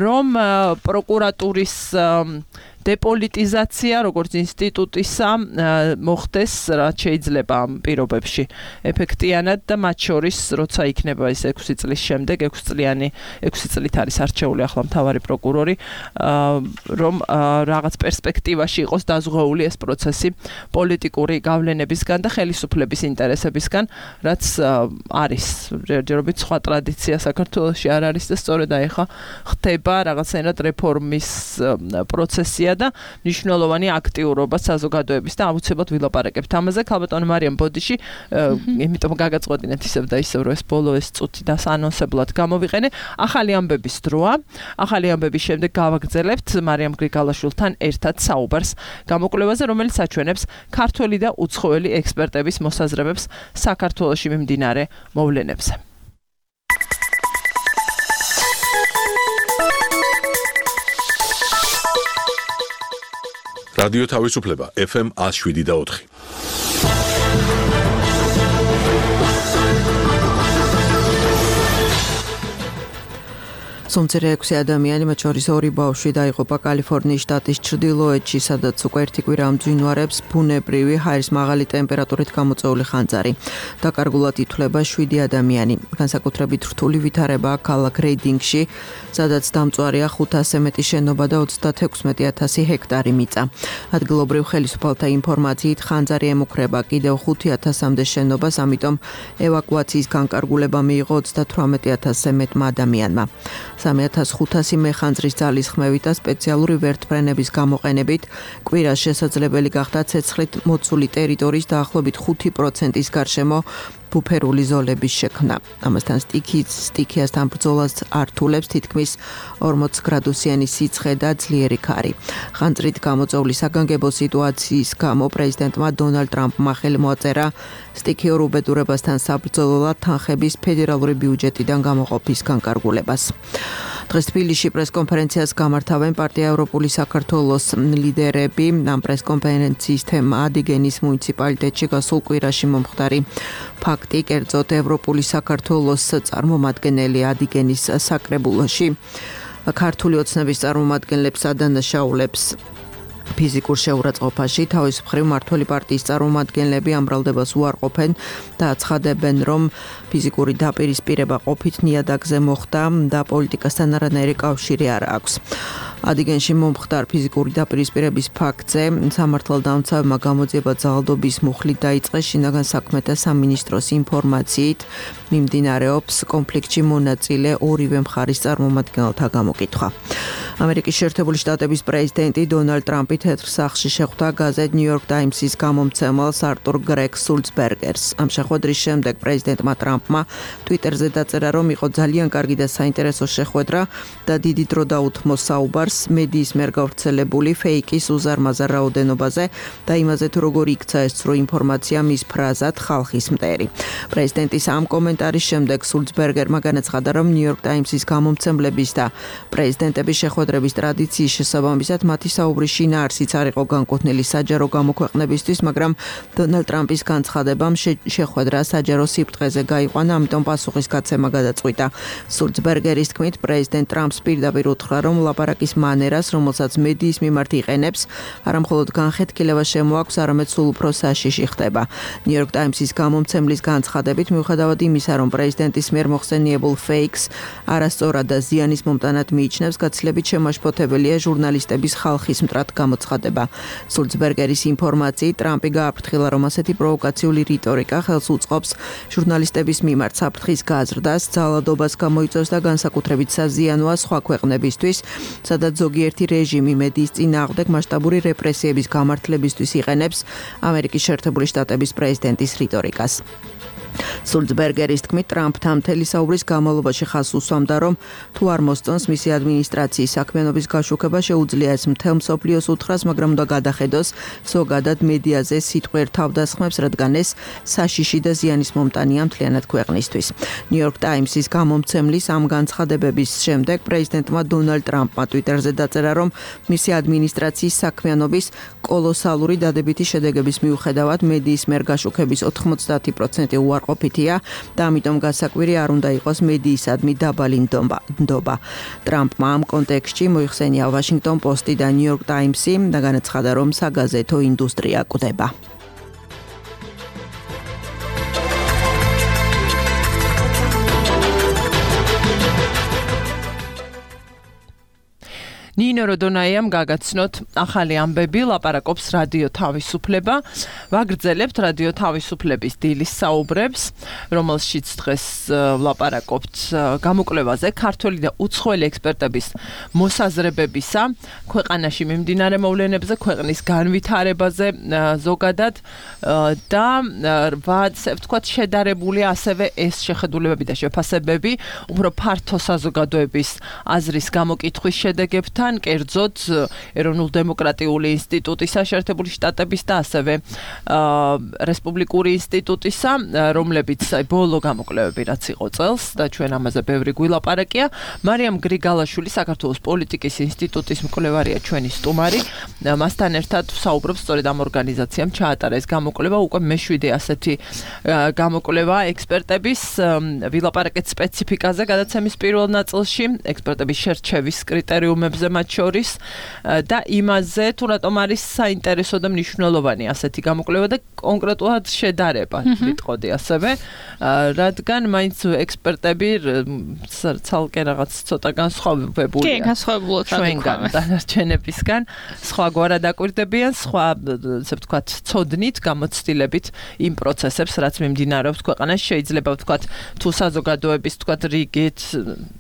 B: რომ პროკურატურის დეპოლიტიზაცია როგორც ინსტიტუტისა მოხდეს რაც შეიძლება ამ პირობებში ეფექტიანად და მათ შორის როცა იქნება ეს 6 წლის შემდეგ 6 წლით არის არჩეული ახლა მთავარი პროკურორი რომ რაღაც პერსპექტივაში იყოს დაზღვეული ეს პროცესი პოლიტიკური გავლენებისგან და ხელისუფლების ინტერესებისგან რაც არის ჯერჯერობით სხვა ტრადიცია საქართველოში არ არის და სწორედ აი ხა ხდება რაღაცნაირად რეფორმის პროცესია და მნიშვნელოვანი აქტიურობა საზოგადოების და აუცილებლად ვილაპარაკებთ ამაზე ქალბატონი მარიამ ბოდიში იმიტომ გაგაწყვეტინეთ ისევ და ისევ რომ ეს ბოლო ეს წუთი და ანონსებლად გამოვიყენე ახალი ამბების დროა ახალი ამბების შემდეგ გავაგრძელებთ მარიამ გრიგალაშვილთან ერთად საუბარს გამოკვლევაზე რომელიც აჩვენებს ქართველი და უცხოელი ექსპერტების მოსაზრებებს საქართველოში მიმდინარე მოვლენებზე
A: რადიო თავისუფლება FM 107.4
E: სომცერე 6 ადამიანი, მათ შორის 2 ბავშვი დაიღუპა კალიფორნიის შტატის ჩრდილოეთში, სადაც უკვე ერთი კვირა ამძვინვარებს ბუნებრივი ჰაერის მაღალი ტემპერატურით გამოწვეული ხანძარი. დაკარგულად ითვლება 7 ადამიანი. განსაკუთრებით რთული ვითარებაა ქალაქ რეიდინგში, სადაც დამწვარია 500-ზე მეტი შენობა და 36,000 ჰექტარი მიწა. ადგილობრივ ხელისუფალთა ინფორმაციით ხანძარი ემუქრება კიდევ 5,000-მდე შენობას, ამიტომ ევაკუაციის განკარგულება მიიღო 38,000-ზე მეტმა ადამიანმა. 3500 მეხანძრის ძალისხმევით და სპეციალური ვერტმფრენების გამოყენებით კვირას შესაძლებელი გახდა ცეცხლით მოწული ტერიტორიის დაახლოებით 5%-ის გარშემო ბუფერული ზოლების შექმნა. ამასთან სტიქიასთან ბრძოლას ართულებს თითქმის 40 გრადუსიანი სიცხე და ძლიერი ქარი. ხანძრით გამოწვეული საგანგებო სიტუაციის გამო პრეზიდენტმა დონალდ ტრამპმა ხელი მოაწერა სტიქიურ უბედურებასთან საბრძოლოდ თანხების ფედერალური ბიუჯეტიდან გამოყოფის განკარგულებას. დღეს თბილისში პრესკონფერენციას გამართავენ პარტია ევროპული საქართველოს ლიდერები. ამ პრესკონფერენციის თემა ადიგენის მუნიციპალიტეტში გასულ კვირაში მომხდარი ფაქტი, კერძოდ ევროპული საქართველოს წარმომადგენელი ადიგენის საკრებულოში ქართული ოცნების წარმომადგენლებს ადანაშაულებს ფიზიკურ შეურაცხყოფაში თავის მხრივ მმართველი პარტიის წარმომადგენლები ამ ბრალდებას უარყოფენ და აცხადებენ, რომ ფიზიკური დაპირისპირება ყოფით ნიადაგზე მოხდა და პოლიტიკასთან არანაირი კავშირი არ აქვს. ადიგენში მომხდარ ფიზიკური დაპირისპირების ფაქტზე სამართალდამცავებმა გამოძიება ძალადობის მუხლით დაიწყეს. შინაგან საქმეთა სამინისტროს ინფორმაციით მიმდინარეობს კონფლიქტში მონაწილე ორივე მხარის წარმომადგენელთა გამოკითხვა. ამერიკის შეერთებული შტატების პრეზიდენტი დონალდ ტრამპი თეთრ სახლში შეხვდა გაზეთ New York Times-ის გამომცემელს არტურ გრეგ სულცბერგერს. ამ შეხვედრის შემდეგ პრეზიდენტმა ტრამპმა Twitter-ზე დაწერა, რომ იყო ძალიან კარგი და საინტერესო შეხვედრა და დიდი დრო დაუთმო საუბარს მედიის მიერ გავრცელებული ფეიკის უზარმაზარ რაოდენობაზე და იმაზე, თუ როგორ იქცა ეს ცრუ ინფორმაცია მის ფრაზად ხალხის მტერი. პრეზიდენტის ამ კომენტარის შემდეგ სულცბერგერმა განაცხადა, რომ New York Times-ის გამომცემლების და პრეზიდენტების შეხვედრა შეხვედრების ტრადიციის შესაბამისად მათი საუბრის შინაარსიც არ იყო განკუთვნილი საჯარო გამოქვეყნებისთვის, მაგრამ დონალდ ტრამპის განცხადებამ შეხვედრა საჯარო სიბრტყეზე გაიყვანა, ამიტომ პასუხისგაცემა გადაწყვიტა. სულცბერგერის თქმით, პრეზიდენტ ტრამპს პირდაპირ უთხრა, რომ ლაპარაკის მანერას, რომელსაც მედიის მიმართ იყენებს, არა მხოლოდ განხეთქილება შემოაქვს, არამედ სულ უფრო საშიში ხდება. New York Times-ის გამომცემლის განცხადებით, მიუხედავად იმისა, რომ პრეზიდენტის მიერ მოხსენიებულ ფეიქს არასწორად და ზიანის მომტანად მიიჩნევს, გაცილებით შემაშფოთებელია ჟურნალისტების ხალხის მტრად გამოცხადება. სულცბერგერის ინფორმაციით, ტრამპი გააფრთხილა, რომ ასეთი პროვოკაციული რიტორიკა ხელს უწყობს ჟურნალისტების მიმართ საფრთხის გაზრდას, ძალადობას გამოიწვევს და განსაკუთრებით საზიანოა სხვა ქვეყნებისთვის, სადაც ზოგიერთი რეჟიმი მედიის წინააღმდეგ მასშტაბური რეპრესიების გამართლებისთვის იყენებს ამერიკის შეერთებული შტატების პრეზიდენტის რიტორიკას. სულცბერგერის თქმით, ტრამპთან მთელი საუბრის განმავლობაში ხაზს უსვამდა, რომ თუ არ მოსწონს მისი ადმინისტრაციის საქმიანობის გაშუქება, შეუძლია ეს მთელ მსოფლიოს უთხრას, მაგრამ უნდა გადახედოს ზოგადად მედიაზე სიტყვიერ თავდასხმებს, რადგან ეს საშიში და ზიანის მომტანია მთლიანად ქვეყნისთვის. New York Times-ის გამომცემლის ამ განცხადებების შემდეგ პრეზიდენტმა დონალდ ტრამპმა ტვიტერზე დაწერა, რომ მისი ადმინისტრაციის საქმიანობის კოლოსალური დადებითი შედეგების მიუხედავად მედიის მიერ გაშუქების 90% უარყოფითია და ამიტომ გასაკვირი არ უნდა იყოს მედიისადმი დაბალი ნდობა. ტრამპმა ამ კონტექსტში მოიხსენია Washington Post-ი და New York Times-ი და განაცხადა, რომ საგაზეთო ინდუსტრია კვდება.
B: ნინო როდონაიამ გაგაცნოთ ახალი ამბები, ლაპარაკობს რადიო თავისუფლება. ვაგრძელებთ რადიო თავისუფლების დილის საუბრებს, რომელშიც დღეს ლაპარაკობთ გამოკვლევაზე ქართველი და უცხოელი ექსპერტების მოსაზრებებისა, ქვეყანაში მიმდინარე მოვლენებზე, ქვეყნის განვითარებაზე ზოგადად და ვთქვათ შედარებული ასევე ეს შეხედულებები და შეფასებები უფრო ფართო საზოგადოების აზრის გამოკითხვის შედეგებთან, კერძოდ ეროვნულ-დემოკრატიული ინსტიტუტისა შეერთებული შტატების და ასევე რესპუბლიკური ინსტიტუტისა, რომლებიც ბოლო გამოკვლევები რაც იყო წელს და ჩვენ ამაზე ბევრი გვილაპარაკია. მარიამ გრიგალაშვილი საქართველოს პოლიტიკის ინსტიტუტის მკვლევარია ჩვენი სტუმარი. მასთან ერთად საუბრობს სწორედ ამ ორგანიზაციამ ჩაატარა ეს გამოკვლევა, უკვე მე-7 ასეთი გამოკვლევა ექსპერტების ვილაპარაკეთ სპეციფიკაზე გადაცემის პირველ ნაწილში, ექსპერტების შერჩევის კრიტერიუმებზე მათ შორის და იმაზე, თუ რატომ არის საინტერესო და მნიშვნელოვანი ასეთი გამოკვლევა და კონკრეტულად შედარება, ვიტყოდი ასევე, რადგან მაინც ექსპერტები ცალკე რაღაც ცოტა განსხვავებულია.
C: კი, განსხვავებულად
B: ჩვენგან დანარჩენებისგან, სხვაგვარად აკვირდებიან, სხვა, ასე ვთქვათ, ცოდნით, გამოცდილებით იმ პროცესებს, რაც მიმდინარეობს ქვეყანაში, შეიძლება ვთქვათ, თუ საზოგადოების, ვთქვათ, რიგით,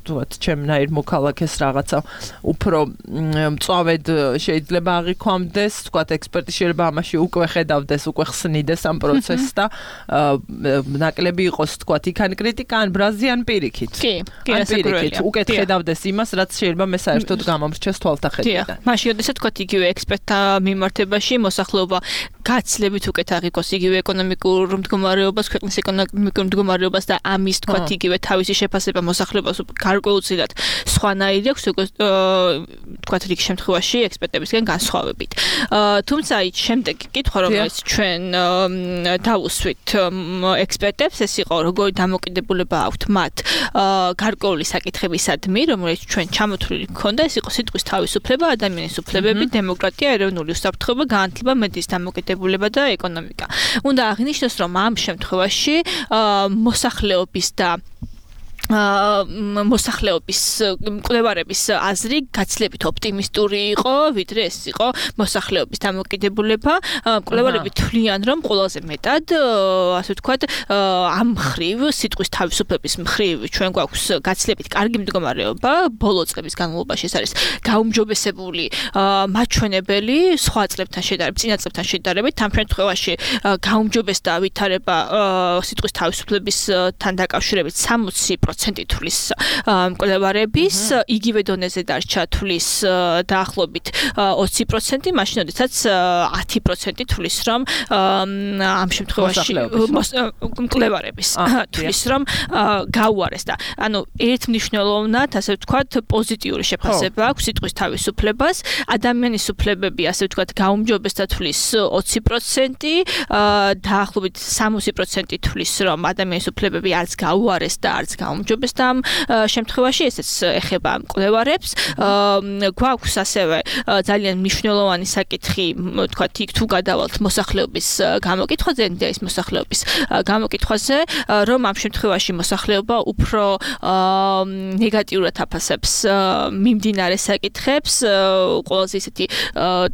B: ვთქვათ, ჩემნაირ მოქალაქეს რაღაცა უფრო მწვავედ შეიძლება აღიქვამდეს, ვთქვათ, ექსპერტი შეიძლება ამაში უკვე ხედავდეს, უკვე ხსნიდეს ამ პროცესს და ნაკლები იყოს, ვთქვათ, იქან კრიტიკა, ან ბრაზი, ან პირიქით.
C: კი,
B: პირიქით, უკეთ ხედავდეს იმას, რაც შეიძლება მე საერთოდ გამომრჩეს თვალთახედიდან.
C: მაშინ, როდესაც ვთქვათ, იგივე ექსპერტთა მიმართებაში მოსახლეობა გაცილებით უკეთ აღიქოს იგივე ეკონომიკურ მდგომარეობას, ქვეყნის ეკონომიკურ მდგომარეობას და ამის, ვთქვათ, იგივე თავისი შეფასება მოსახლეობას გარკვეულწილად სხვანაირი აქვს, ვთქვათ, რიგ შემთხვევაში ექსპერტებისგან განსხვავებით. თუმცა შემდეგი კითხვა, რომელიც ჩვენ დავუსვით ექსპერტებს, ეს იყო, როგორი დამოკიდებულება აქვთ მათ გარკვეული საკითხებისადმი, რომელიც ჩვენ ჩამოთვლილი გქონდა, ეს იყო სიტყვის თავისუფლება, ადამიანის უფლებები, დემოკრატია, ეროვნული უსაფრთხოება, განათლება, მედიის დამოკიდებულება და ეკონომიკა. უნდა აღინიშნოს, რომ ამ შემთხვევაში მოსახლეობის და მოსახლეობის მკვლევარების აზრი გაცილებით ოპტიმისტური იყო, ვიდრე ეს იყო მოსახლეობის დამოკიდებულება. მკვლევარები თვლიან, რომ ყველაზე მეტად, ასე ვთქვათ, ამ მხრივ სიტყვის თავისუფლების მხრივ ჩვენ გვაქვს გაცილებით კარგი მდგომარეობა, ბოლო წლების განმავლობაში ეს არის გაუმჯობესებული, მაჩვენებელი სხვა წლებთან შედარებით, წინა წლებთან შედარებით, ამ შემთხვევაში გაუმჯობესდა ვითარება სიტყვის თავისუფლებისთან დაკავშირებით 60% 20% თulis მკვლევარების, იგივე დონეზე დარჩა თulis დაახლოებით 20%, მაშინ როდესაც 10% თulis რომ ამ შემთხვევაში მკვლევარების თulis რომ გაუარეს და ანუ ერთმნიშვნელოვნად ასე ვთქვათ პოზიტიური შეფასება აქვს სიტყვის თავისუფლებას, ადამიანის უფლებები ასე ვთქვათ გაუმჯობეს და თulis 20%, დაახლოებით 60% თulis რომ ადამიანის უფლებები არც გაუარეს და არც გაუმჯობეს და ამ შემთხვევაში ესეც ეხება მკვლევარებს. გვაქვს ასევე ძალიან მნიშვნელოვანი საკითხი, ვთქვათ, იქ თუ გადავალთ მოსახლეობის გამოკითხვაზე, ის მოსახლეობის გამოკითხვაზე, რომ ამ შემთხვევაში მოსახლეობა უფრო ნეგატიურად აფასებს მიმდინარე საკითხებს, ყველაზე ისეთი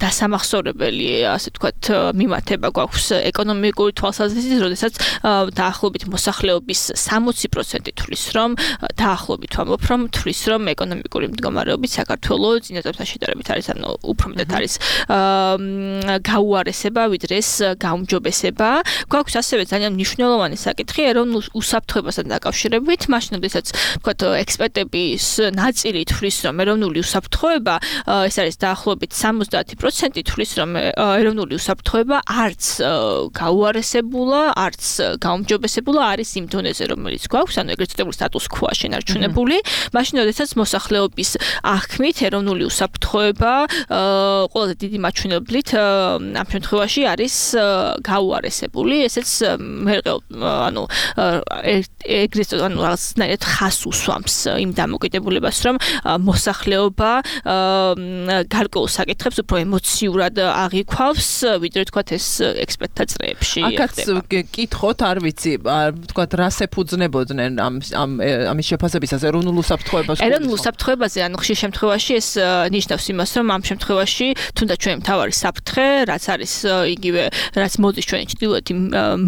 C: დასამახსოვრებელი, ასე ვთქვათ, მიმართება გვაქვს ეკონომიკური თვალსაზრისით, როდესაც დაახლოებით მოსახლეობის 60% თulis რომ დაახლოებით ვამბობ, რომ თulis რომ ეკონომიკური მდგომარეობით საქართველოს წინა წლებთან შედარებით არის, ანუ უფრო მეტად არის გაუარესება, ვიდრე ეს გაუმჯობესება. გვაქვს ასევე ძალიან მნიშვნელოვანი საკითხი ეროვნულ უსაფრთხოებასთან დაკავშირებით, მაშინ როდესაც ვთქვათ ექსპერტების ნაწილი თulis რომ ეროვნული უსაფრთხოება ეს არის დაახლოებით 70% თulis რომ ეროვნული უსაფრთხოება არც გაუარესებულა, არც გაუმჯობესებულა არის იმ დონეზე, რომელიც გვაქვს, ანუ ეგრეთ წოდებული status quo-ა შენარჩუნებული. მაშინ როდესაც მოსახლეობის აღქმით ეროვნული უსაფრთხოება ყველაზე დიდი მაჩვენებლით ამ შემთხვევაში არის გაუარესებული. ესეც ანუ ეგრეთ ანუ რაღაცნაირად ხას უსვამს იმ დამოკიდებულებას, რომ მოსახლეობა გარკვეულ საკითხებს უფრო ემოციურად აღიქვავს, ვიდრე თქვათ ეს ექსპერტთა წრეებში.
B: აქაც კითხოთ, არ ვიცი, თქვათ რას ეფუძნებოდნენ ამის შეფასებისას ეროვნულ უსაფრთხოებას.
C: ეროვნულ უსაფრთხოებაზე, ანუ ხშირ შემთხვევაში ეს ნიშნავს იმას, რომ ამ შემთხვევაში თუნდაც ჩვენი მთავარი საფრთხე, რაც არის იგივე, რაც მოდის ჩვენი ჩრდილოეთი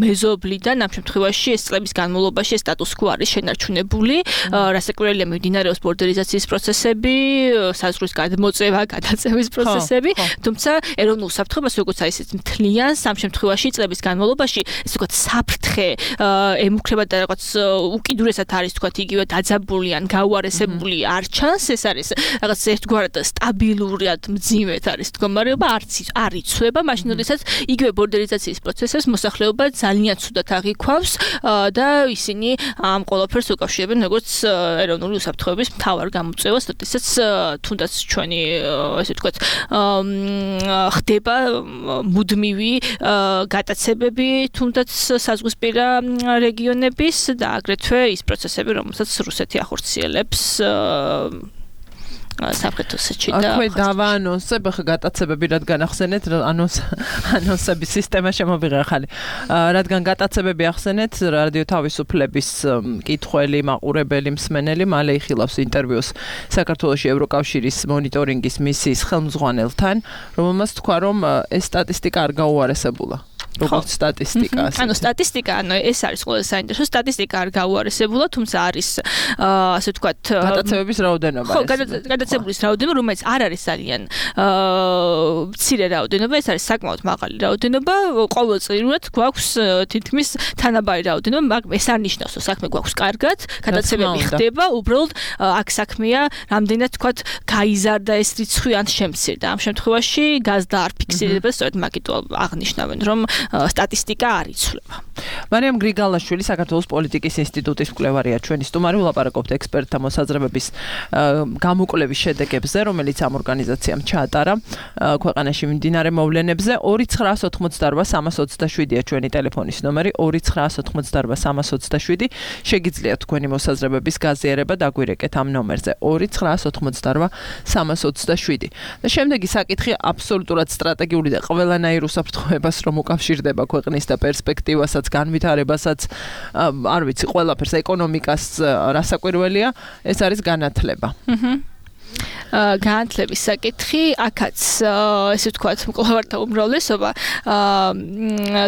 C: მეზობლიდან, ამ შემთხვევაში ეს წლების განმავლობაში ეს status quo არის შენარჩუნებული, რასაკვირველია მიმდინარეობს ბორდერიზაციის პროცესები, საზღვრის გადმოწევა, გადაწევის პროცესები, თუმცა ეროვნულ უსაფრთხოებას როგორც არის ეს მთლიანს ამ შემთხვევაში წლების განმავლობაში ეს ვთქვათ საფრთხე ემუქრება და რაღაც უკიდურესად არის ვთქვათ იგივე დაძაბული ან გაუარესებული არ ჩანს, ეს არის რაღაც ერთგვარად სტაბილურად მძიმედ არის მდგომარეობა, არ იცვლება, მაშინ როდესაც იგივე ბორდერიზაციის პროცესებს მოსახლეობა ძალიან ცუდად აღიქვავს და ისინი ამ ყველაფერს უკავშირებენ როგორც ეროვნული უსაფრთხოების მთავარ გამოწვევას, როდესაც თუნდაც ჩვენი ესე ვთქვათ ხდება მუდმივი გატაცებები თუნდაც საზღვისპირა რეგიონების და აგრეთვე ის პროცესები, რომელსაც რუსეთი ახორციელებს საფრთხეთოსში და
B: აქვე დავაანონსებ ახლა გატაცებები რადგან ახსენეთ ანონსების სისტემა შემოვიღე ახალი რადგან გატაცებები ახსენეთ რადიო თავისუფლების მკითხველი მაყურებელი მსმენელი მალე იხილავს ინტერვიუს საქართველოში ევროკავშირის მონიტორინგის მისიის ხელმძღვანელთან რომელმაც თქვა რომ ეს სტატისტიკა არ გაუარესებულა როგორც სტატისტიკა.
C: ანუ სტატისტიკა, ანუ ეს არის ყველაზე საინტერესო სტატისტიკა არ გაუარესებულა, თუმცა არის ასე ვთქვათ
B: გადაცემების რაოდენობა.
C: ხო, გადაცემების რაოდენობა, რომელიც არ არის ძალიან მცირე რაოდენობა, ეს არის საკმაოდ მაღალი რაოდენობა. ყოველწლიურად გვაქვს თითქმის თანაბარი რაოდენობა, მაგრამ ეს არ ნიშნავს, რომ საქმე გვაქვს კარგად, გადაცემები ხდება, უბრალოდ აქ საქმეა, რამდენად ვთქვათ, გაიზარდა ეს რიცხვი ან შემცირდა. ამ შემთხვევაში გაზდა არ ფიქსირდება, სწორედ მაგითო აღნიშნავენ, რომ სტატისტიკა არ იცვლება.
B: მარიამ გრიგალაშვილი საქართველოს პოლიტიკის ინსტიტუტის მკვლევარია ჩვენი სტუმარი ვლაპარაკობთ ექსპერტთა მოსაზრებების გამოკვლევის შედეგებზე, რომელიც ამ ორგანიზაციამ ჩაატარა ქვეყანაში მიმდინარე მოვლენებზე 2988327-ია ჩვენი ტელეფონის ნომერი 2988327 შეგიძლიათ თქვენი მოსაზრებების გაზიარება დაგვირეკეთ ამ ნომერზე 2988327 და შემდეგი საკითხი აბსოლუტურად სტრატეგიული და ყველანაირ უსაფრთხოებას რომ უკავშირდება ქვეყნის და პერსპექტივასაც განვითარებასაც არ ვიცი ყველაფერს ეკონომიკას რასაკვირველია ეს არის განათლება.
C: განათლების საკითხი, აქაც ესე ვთქვათ, მკვლევართა უმრავლესობა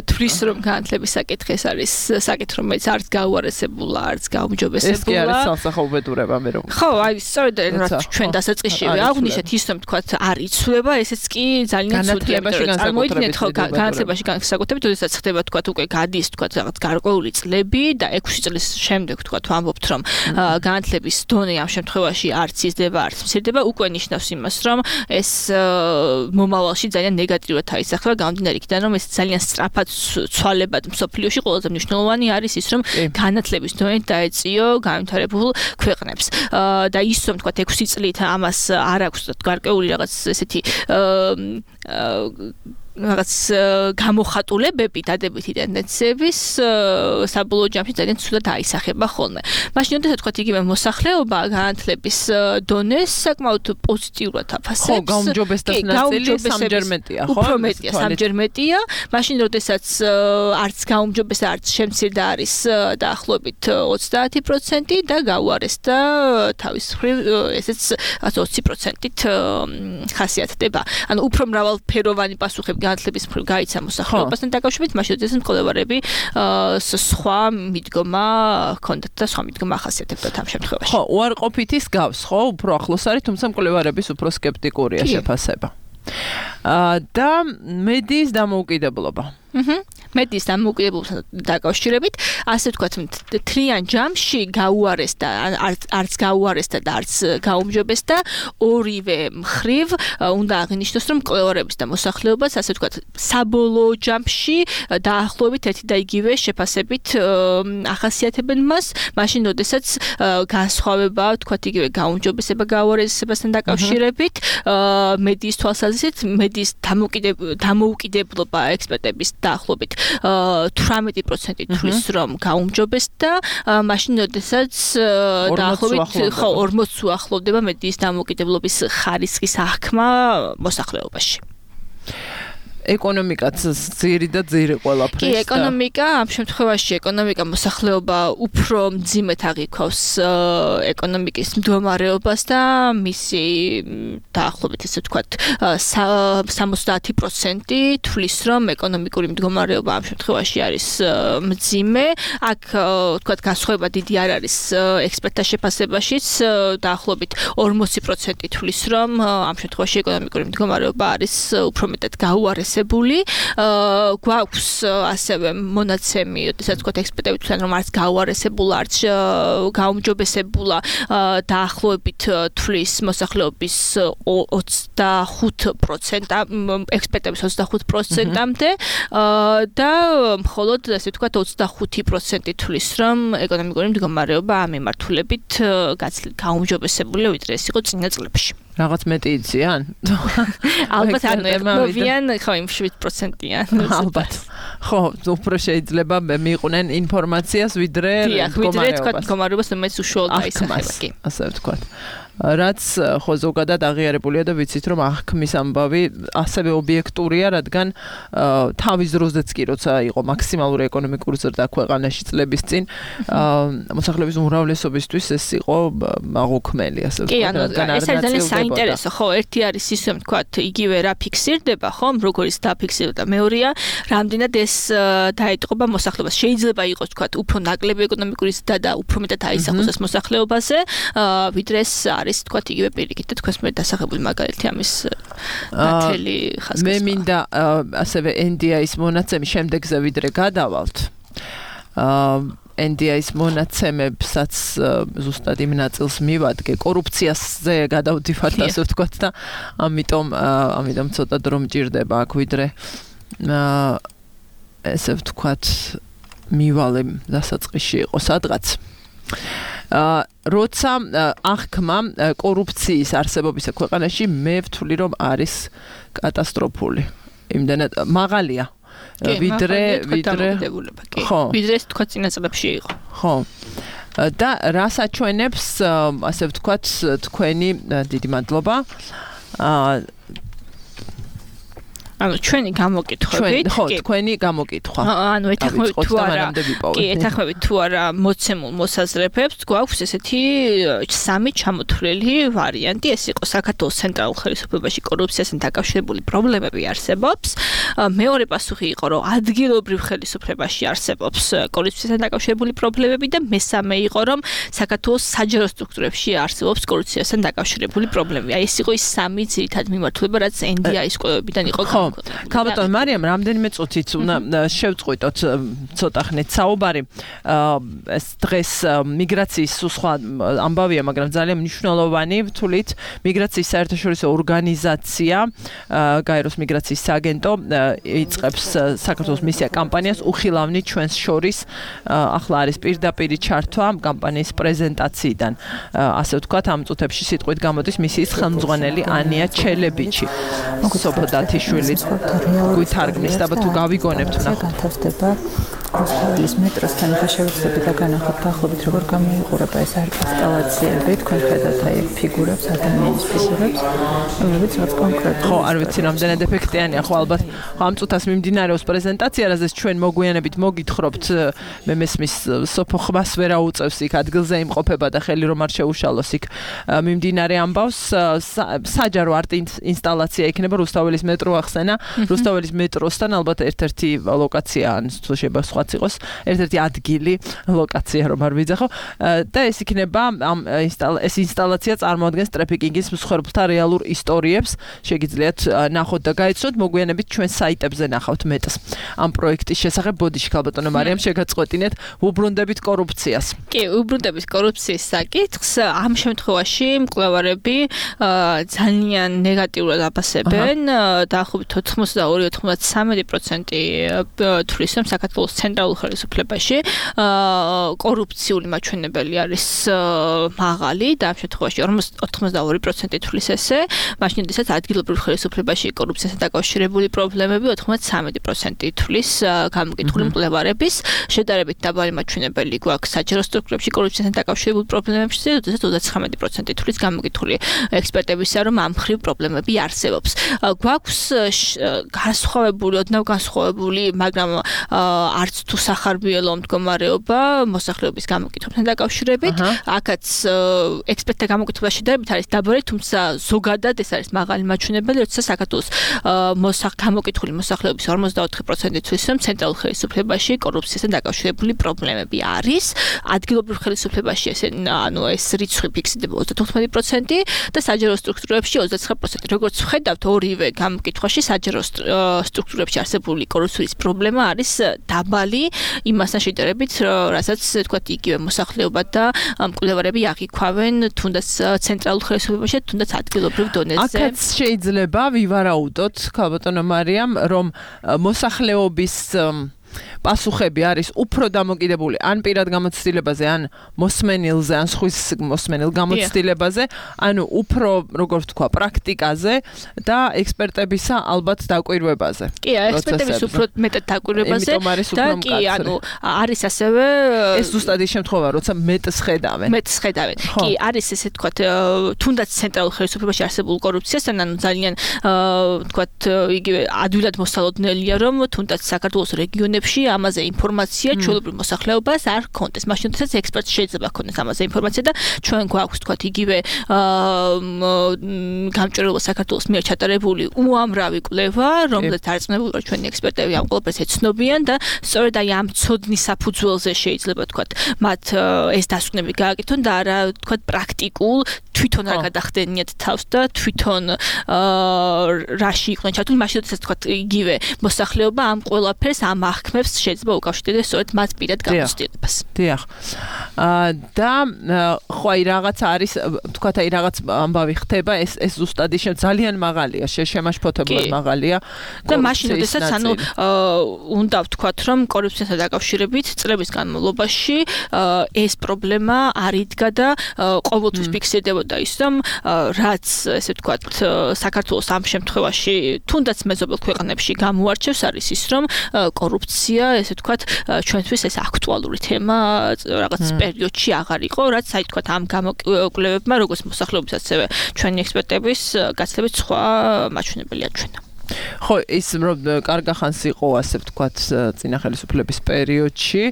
C: თვლის, რომ განათლების საკითხი ეს არის საკითხი, რომელიც არც გაუარესებულა, არც გაუმჯობესებულა.
B: ეს კი არის სამსახურებურება მე რომ.
C: ხო, აი, სწორედ რაც ჩვენ დასაწყისშივე აღვნიშნეთ ის, რომ ვთქვათ, არ იცვლება, ესეც კი ძალიან ცუდია. წარმოიდგინეთ, ხო, განათლებაში განსაკუთრებით, როდესაც ხდება ვთქვათ, უკვე გადის ვთქვათ, რაღაც გარკვეული წლები და 6 წლის შემდეგ ვთქვათ, ვამბობთ, რომ განათლების დონე ამ შემთხვევაში არც იზრდება, არც მცირდება, უკვე ნიშნავს იმას, რომ ეს მომავალში ძალიან ნეგატიურად აისახება, გამომდინარე იქიდან, რომ ეს ძალიან სწრაფად ცვალებად მსოფლიოში ყველაზე მნიშვნელოვანი არის ის, რომ განათლების დონე დაეწიო განვითარებულ ქვეყნებს. და ის, რომ თქვათ 6 წლით ამას არ აქვს გარკვეული რაღაც ესეთი რაღაც გამოხატულებები დადებითი ტენდენციების საბოლოო ჯამში ძალიან ცუდად აისახება ხოლმე. მაშინ როდესაც თქვათ იგივე მოსახლეობა განათლების დონეს საკმაოდ პოზიტიურად აფასებს.
B: ხო, გაუმჯობესებას ნაწილი სამჯერ მეტია, ხო?
C: უფრო მეტია, სამჯერ მეტია. მაშინ როდესაც არც გაუმჯობესება, არც შემცირდა არის დაახლოებით 30% და გაუარესდა თავის მხრივ ესეც 20%-ით ხასიათდება. ანუ უფრო მრავალფეროვანი პასუხები განათლების მხრივ გაიცა მოსახლეობასთან დაკავშირებით, მაშინ როდესაც მკვლევარები სხვა მიდგომა ჰქონდათ და სხვა მიდგომა ახასიათებდათ ამ შემთხვევაში.
B: ხო, უარყოფითის გავს, ხო, უფრო ახლოს არის, თუმცა მკვლევარების უფრო სკეპტიკურია შეფასება. და მედიის დამოუკიდებლობა. მედიის დამოუკიდებლობასთან დაკავშირებით, ასე ვთქვათ, თლიან ჯამში გაუარესდა, არც გაუარესდა და არც გაუმჯობესდა, ორივე მხრივ უნდა აღინიშნოს, რომ მკვლევარების და მოსახლეობას, ასე ვთქვათ, საბოლოო ჯამში დაახლოებით ერთი და იგივე შეფასებით ახასიათებენ მას, მაშინ როდესაც განსხვავება, ვთქვათ, იგივე გაუმჯობესება გაუარესებასთან დაკავშირებით, მედიის თვალსაზრისით, მედიის დამოუკიდებლობა ექსპერტების დაახლოებით 18% თვლის, რომ გაუმჯობესდა, მაშინ როდესაც დაახლოებით 40 უახლოვდება მედიის დამოუკიდებლობის ხარისხის აღქმა მოსახლეობაში. ეკონომიკაც ძირი და ძირი ყველაფრის.
C: კი, ეკონომიკა, ამ შემთხვევაში ეკონომიკა მოსახლეობა უფრო მძიმედ აღიქვავს ეკონომიკის მდგომარეობას და მისი დაახლოებით ესე ვთქვათ 70% თვლის, რომ ეკონომიკური მდგომარეობა ამ შემთხვევაში არის მძიმე. აქ ვთქვათ განსხვავება დიდი არ არის ექსპერტთა შეფასებაშიც, დაახლოებით 40% თვლის, რომ ამ შემთხვევაში ეკონომიკური მდგომარეობა არის უფრო მეტად გაუარესებული. გვაქვს ასევე მონაცემი, როდესაც ვთქვათ ექსპერტები თქვენ რომ არც გაუარესებულა, არც გაუმჯობესებულა, დაახლოებით თვლის მოსახლეობის 25%, ექსპერტების 25%-მდე და მხოლოდ ასე ვთქვათ 25% თვლის, რომ ეკონომიკური მდგომარეობა ამ მიმართულებით გაუმჯობესებულია, ვიდრე ეს იყო წინა წლებში.
B: რაღაც მეტი იციან?
C: ალბათ არ მოვიან, ხო, იმ 7%-იან.
B: ალბათ. ხო, უფრო შეიძლება მიიყვნენ ინფორმაციას, ვიდრე
C: მდგომარეობას, რომელიც უშუალოდ აისახება, კი.
B: ასე ვთქვათ. რაც ხო ზოგადად აღიარებულია და ვიცით, რომ აღქმის ამბავი ასევე ობიექტურია, რადგან თავის დროზეც კი, როცა იყო მაქსიმალური ეკონომიკური ზრდა ქვეყანაში წლების წინ, მოსახლეობის უმრავლესობისთვის ეს იყო მაღუქმელი, ასე ვთქვათ, რადგან არ
C: ნაწილდებოდა. ეს არის საინტერესო, ხო, ერთი არის ის, რომ ვთქვათ, იგივე რა ფიქსირდება, ხო, როგორც დაფიქსირდა, მეორეა, რამდენად ეს დაეტყობა მოსახლეობას. შეიძლება იყოს, ვთქვათ, უფრო ნაკლები ეკონომიკური ზრდა და უფრო მეტად აისახოს ეს მოსახლეობაზე, ვიდრე ეს არის თქვათ იგივე პირიქით და თქვენს მე დასახებული მაგალითი ამის ნათელი ხაზგასმა.
B: მე მინდა ასევე NDI-ის მონაცემი შემდეგზე ვიდრე გადავალთ. NDI-ის მონაცემებსაც ზუსტად იმ ნაწილს მივადგე, კორუფციაზე გადავდივართ, ასე ვთქვათ და ამიტომ ცოტა დრო მჭირდება აქ ვიდრე ესე ვთქვათ მივალე დასაწყისში იყო სადღაც. როცა აღქმა კორუფციის არსებობისა ქვეყანაში მე ვთვლი რომ არის კატასტროფული. იმდენად მაღალია. ვიდრე
C: ხო, ვიდრე თქვა წინა წლებში იყო.
B: ხო. და რას აჩვენებს ასე ვთქვათ თქვენი დიდი მადლობა.
C: ანუ ჩვენი გამოკითხვებით,
B: ხო, თქვენი გამოკითხვა.
C: ანუ ეთანხმებით თუ არა, კი, ეთანხმებით თუ არა მოცემულ მოსაზრებებს, გვაქვს ესეთი სამი ჩამოთვლილი ვარიანტი, ეს იყო საქართველოს ცენტრალურ ხელისუფლებაში კორუფციასთან დაკავშირებული პრობლემები არსებობს. მეორე პასუხი იყო, რომ ადგილობრივ ხელისუფლებაში არსებობს კორუფციასთან დაკავშირებული პრობლემები და მესამე იყო, რომ საქართველოს საჯარო სტრუქტურებში არსებობს კორუფციასთან დაკავშირებული პრობლემები. აი ეს იყო ის სამი ძირითადი მიმართულება, რაც NDI-ის კვლევებიდან იყო გამოკითხვილი.
B: ქალბატონ მარიამ, რამდენიმე წუთით უნდა შევწყვიტოთ ცოტა ხნით საუბარი. ეს დღეს მიგრაციის სხვა ამბავია, მაგრამ ძალიან მნიშვნელოვანი ვთვლით, მიგრაციის საერთაშორისო ორგანიზაცია, გაეროს მიგრაციის სააგენტო იწყებს საქართველოს მისია კამპანიას უხილავნი ჩვენს შორის. ახლა არის პირდაპირი ჩართვა კამპანიის პრეზენტაციიდან. ასე ვთქვათ, ამ წუთებში სიტყვით გამოდის მისიის ხელმძღვანელი ანია ჩელებიჩი. სოფო დათიშვილი გვითარგმნის და თუ გავიგონებთ ნახოთ.
F: განთავსდება რუსთაველის მეტროსთან ხაშევსები და განახოთ დაახლოებით როგორ გამოიყურება ეს ინსტალაციები, თქვენ ხედავთ აი ფიგურებს, ადამიანის ფიგურებს, რომლებიც რაც კონკრეტულად
B: ხო, არ ვიცი რამდენად ეფექტიანია, ხო ალბათ ამ წუთას მიმდინარეობს პრეზენტაცია, რაზეც ჩვენ მოგვიანებით მოგითხრობთ, მე მესმის სოფო ხმას ვერ აუწევს იქ ადგილზე იმყოფება და ხელი რომ არ შეუშალოს იქ მიმდინარე ამბავს, საჯარო არტ ინსტალაცია იქნება რუსთაველის მეტრო ახსენა, რუსთაველის მეტროსთან ალბათ ერთ-ერთი ლოკაცია ან თუ შეიძლება სხვაც იყოს, ერთ-ერთი ადგილი, ლოკაცია რომ არ ვიძახო და ეს იქნება ეს ინსტალაცია წარმოადგენს ტრაფიკინგის მსხვერპლთა რეალურ ისტორიებს, შეგიძლიათ ნახოთ და გაიცნოთ, მოგვიანებით ჩვენ საიტებზე ნახავთ მეტს ამ პროექტის შესახებ. ბოდიში ქალბატონო მარიამ, შეგაწყვეტინეთ, უბრუნდებით კორუფციას.
C: კი, უბრუნდებით კორუფციის საკითხს. ამ შემთხვევაში მკვლევარები ძალიან ნეგატიურად აფასებენ, დაახლოებით 82-93% თვლის, რომ საქართველოს ცენტრალურ ხელისუფლებაში კორუფციული მაჩვენებელი არის მაღალი და ამ შემთხვევაში 82% თვლის ესე, მაშინ როდესაც ადგილობრივ ხელისუფლებაში კორუფციასთან დაკავშირებული პრობლემები 93% თვლის გამოკითხული მკვლევარების, შედარებით დაბალი მაჩვენებელი გვაქვს საჯარო სტრუქტურებში კორუფციასთან დაკავშირებულ პრობლემებში, როდესაც 39% თვლის გამოკითხული ექსპერტებისა, რომ ამ მხრივ პრობლემები არსებობს. გვაქვს განსხვავებული, ოდნავ განსხვავებული, მაგრამ არც თუ სახარბიელო მდგომარეობა მოსახლეობის გამოკითხვებთან დაკავშირებით. აქაც ექსპერტთა გამოკითხვა შედარებით არის დაბალი, თუმცა ზოგადად ეს არის მაღალი მაჩვენებელი, როცა საქართველოს გამოკითხული მოსახლეობის 44% თვლის, რომ ცენტრალურ ხელისუფლებაში კორუფციასთან დაკავშირებული პრობლემები არის. ადგილობრივ ხელისუფლებაში ეს რიცხვი ფიქსირდება 34% და საჯარო სტრუქტურებში 29%. როგორც ვხედავთ, ორივე გამოკითხვაში საჯარო სტრუქტურებში არსებული კორუფციის პრობლემა არის დაბალი იმასთან შედარებით, რასაც თქვათ იგივე მოსახლეობა და მკვლევარები აღიქვავენ თუნდაც ცენტრალურ ხელისუფლებაში, თუნდაც ადგილობრივ დონეზე.
B: აქაც შეიძლება ვივარაუდოთ, ქალბატონო მარიამ, რომ მოსახლეობის პასუხები არის უფრო დამოკიდებული ან პირად გამოცდილებაზე, ან მოსმენილზე, ან სხვის მოსმენილ გამოცდილებაზე, ანუ უფრო, როგორ ვთქვა, პრაქტიკაზე და ექსპერტებისა ალბათ დაკვირვებაზე.
C: კი, ექსპერტების უფრო მეტად დაკვირვებაზე და კი, ანუ არის ასევე
B: ეს ზუსტად ის შემთხვევა, როცა მეტს ხედავენ.
C: კი, არის ესე ვთქვათ, თუნდაც ცენტრალურ ხელისუფლებაში არსებულ კორუფციასთან, ანუ ძალიან ვთქვათ, იგივე ადვილად მოსალოდნელია, რომ თუნდაც საქართველოს რეგიონებში ამაზე ინფორმაცია ჩვეულებრივ მოსახლეობას არ ჰქონდეს. მაშინ როდესაც ექსპერტს შეიძლება ჰქონდეს ამაზე ინფორმაცია და ჩვენ გვაქვს თქვათ იგივე გამჭვირვალე საქართველოს მიერ ჩატარებული უამრავი კვლევა, რომელზეც დარწმუნებული ჩვენი ექსპერტები ამ ყველაფერს ეცნობიან და სწორედ აი ამ ცოდნის საფუძველზე შეიძლება თქვათ მათ ეს დასკვნები გააკეთონ და არა თქვათ პრაქტიკულ თვითონ არ გადახდენიათ თავს და თვითონ რაში იყვნენ ჩართული, მაშინ როდესაც თქვათ იგივე მოსახლეობა ამ ყველაფერს ამ აღქმებს შეიძლება უკავშირდეს სწორედ მათ პირად გამოცდილებას.
B: დიახ. და ხო აი რაღაც არის, თქვათ აი რაღაც ამბავი ხდება, ეს ზუსტად ის ძალიან მაღალია, შემაშფოთებლად მაღალია.
C: და მაშინ როდესაც ანუ უნდა ვთქვათ, რომ კორუფციასთან დაკავშირებით წლების განმავლობაში ეს პრობლემა არ იდგა და ყოველთვის ფიქსირდებოდა ის, რომ რაც ესე ვთქვათ, საქართველოს ამ შემთხვევაში თუნდაც მეზობელ ქვეყნებში გამოარჩევს არის ის, რომ კორუფცია, ესე ვთქვათ, ჩვენთვის ეს აქტუალური თემა რაღაც პერიოდში აღარ იყო, რაც აი ვთქვათ ამ გამოკვლევებმა, როგორც მოსახლეობის, ასევე ჩვენი ექსპერტების გაცილებით სხვა მაჩვენებელი აჩვენა.
B: ხო, ის რომ კარგახანს იყო ასე ვთქვათ წინა ხელისუფლების პერიოდში,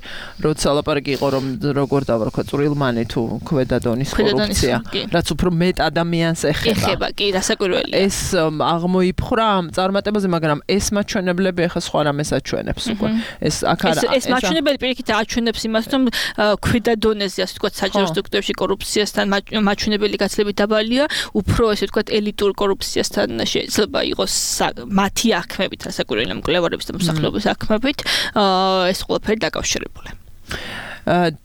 B: როცა ლაპარაკი იყო რომ როგორ დავარქვა წვრილმანი თუ ქვედა დონის კორუფცია, რაც უფრო მეტ ადამიანს ეხება.
C: კი, რასაკვირველია.
B: ეს აღმოიფხვრა ამ წარმატებაზე, მაგრამ ეს მაჩვენებლები ახლა სხვა რამეს აჩვენებს უკვე. ეს აქ არა.
C: ეს მაჩვენებელი პირიქით აჩვენებს იმას, რომ ქვედა დონეზე ასე ვთქვათ საჯარო სტრუქტურებში კორუფციასთან მაჩვენებელი გაცილებით დაბალია, უფრო ესე ვთქვათ ელიტურ კორუფციასთან შეიძლება იყოს მათი აღქმებით, რასაკვირველია მკვლევარების და მოსახლეობის აღქმებით, ეს ყველაფერი დაკავშირებული.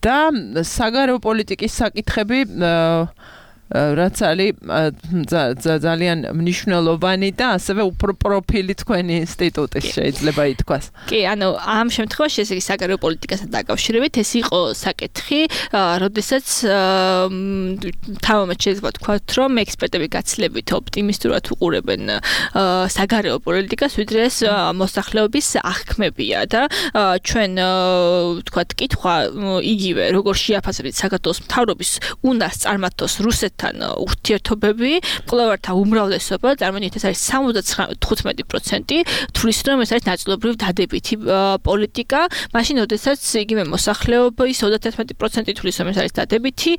B: და საგარეო პოლიტიკის საკითხები რაც არის ძალიან მნიშვნელოვანი და ასევე უფრო პროფილი თქვენი ინსტიტუტის შეიძლება ითქვას.
C: კი, ანუ ამ შემთხვევაში ესე იგი საგარეო პოლიტიკასთან დაკავშირებით ეს იყო საკითხი, როდესაც თავმოყრად შეიძლება ვთქვათ, რომ ექსპერტები გაცილებით ოპტიმისტურად უყურებენ საგარეო პოლიტიკას, ვიდრე ეს მოსახლეობის აღქმებია და ჩვენ ვთქვათ, კითხვა იგივე, როგორ შეაფასებთ საქართველოს მთავრობის უნარს წარმართოს რუსეთთან ურთიერთობები, მკვლევართა უმრავლესობა, წარმოვიდგინეთ, ეს არის 75% თვლის, რომ ეს არის ნაწილობრივ დადებითი პოლიტიკა, მაშინ როდესაც იგივე მოსახლეობის 31% თვლის, რომ ეს არის დადებითი,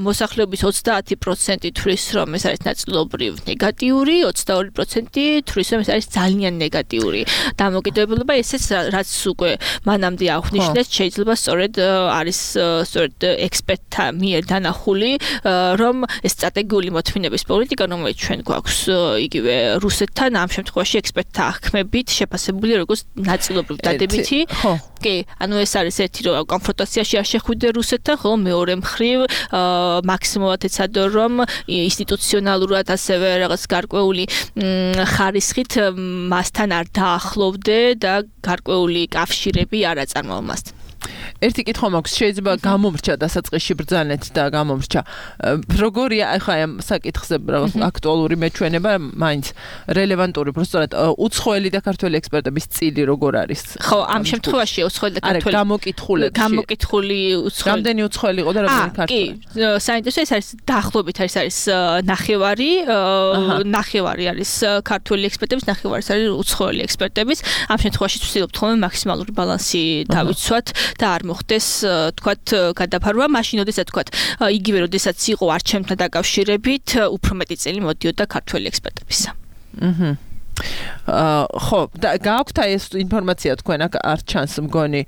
C: მოსახლეობის 30% თვლის, რომ ეს არის ნაწილობრივ ნეგატიური, 22% თვლის, რომ ეს არის ძალიან ნეგატიური. დამოკიდებულება ესეც რაც უკვე მანამდე აღნიშნეს, შეიძლება სწორედ არის სწორედ ექსპერტთა მიერ დანახული, რომ ეს სტრატეგიული მოთმინების პოლიტიკა, რომელიც ჩვენ გვაქვს იგივე რუსეთთან, ამ შემთხვევაში ექსპერტთა აღქმებით შეფასებული როგორც ნაწილობრივ დადებითი. კი, ანუ ეს არის ერთი რომ კონფრონტაციაში არ შეხვიდე რუსეთთან, ხოლო მეორე მხრივ მაქსიმალურად ეცადო რომ ინსტიტუციონალურად ასევე რაღაც გარკვეული ხარისხით მასთან არ დაახლოვდე და გარკვეული კავშირები არ აწარმოო მასთან.
B: ერთი კითხვა მაქვს, შეიძლება გამომრჩა დასაწყისში ბრძანეთ და გამომრჩა. როგორია ახლა ამ საკითხზე აქტუალური მეჩვენება, მაინც რელევანტური, პროსტორად უცხოელი და ქართველი ექსპერტების წილი როგორ არის?
C: ხო, ამ შემთხვევაში უცხოელი და ქართველი გამოკითხული უცხოელი.
B: რამდენი უცხოელი იყო და რამდენი ქართველი?
C: კი, საინტერესო ეს არის დაახლოებით არის ნახევარი არის ქართველი ექსპერტების, ნახევარი არის უცხოელი ექსპერტების. ამ შემთხვევაში ვცდილობთ ხოლმე მაქსიმალური ბალანსი დავიცვათ და არ მოხდეს თქვათ გადაფარვა, მაშინ როდესაც თქვათ იგივე როდესაც იყო არჩევნებთან დაკავშირებით, უფრო მეტი წელი მოდიოდა ქართველი ექსპერტებისა.
B: ხო, და გააქვთ ეს ინფორმაცია თქვენ აქ არ ჩანს მგონი,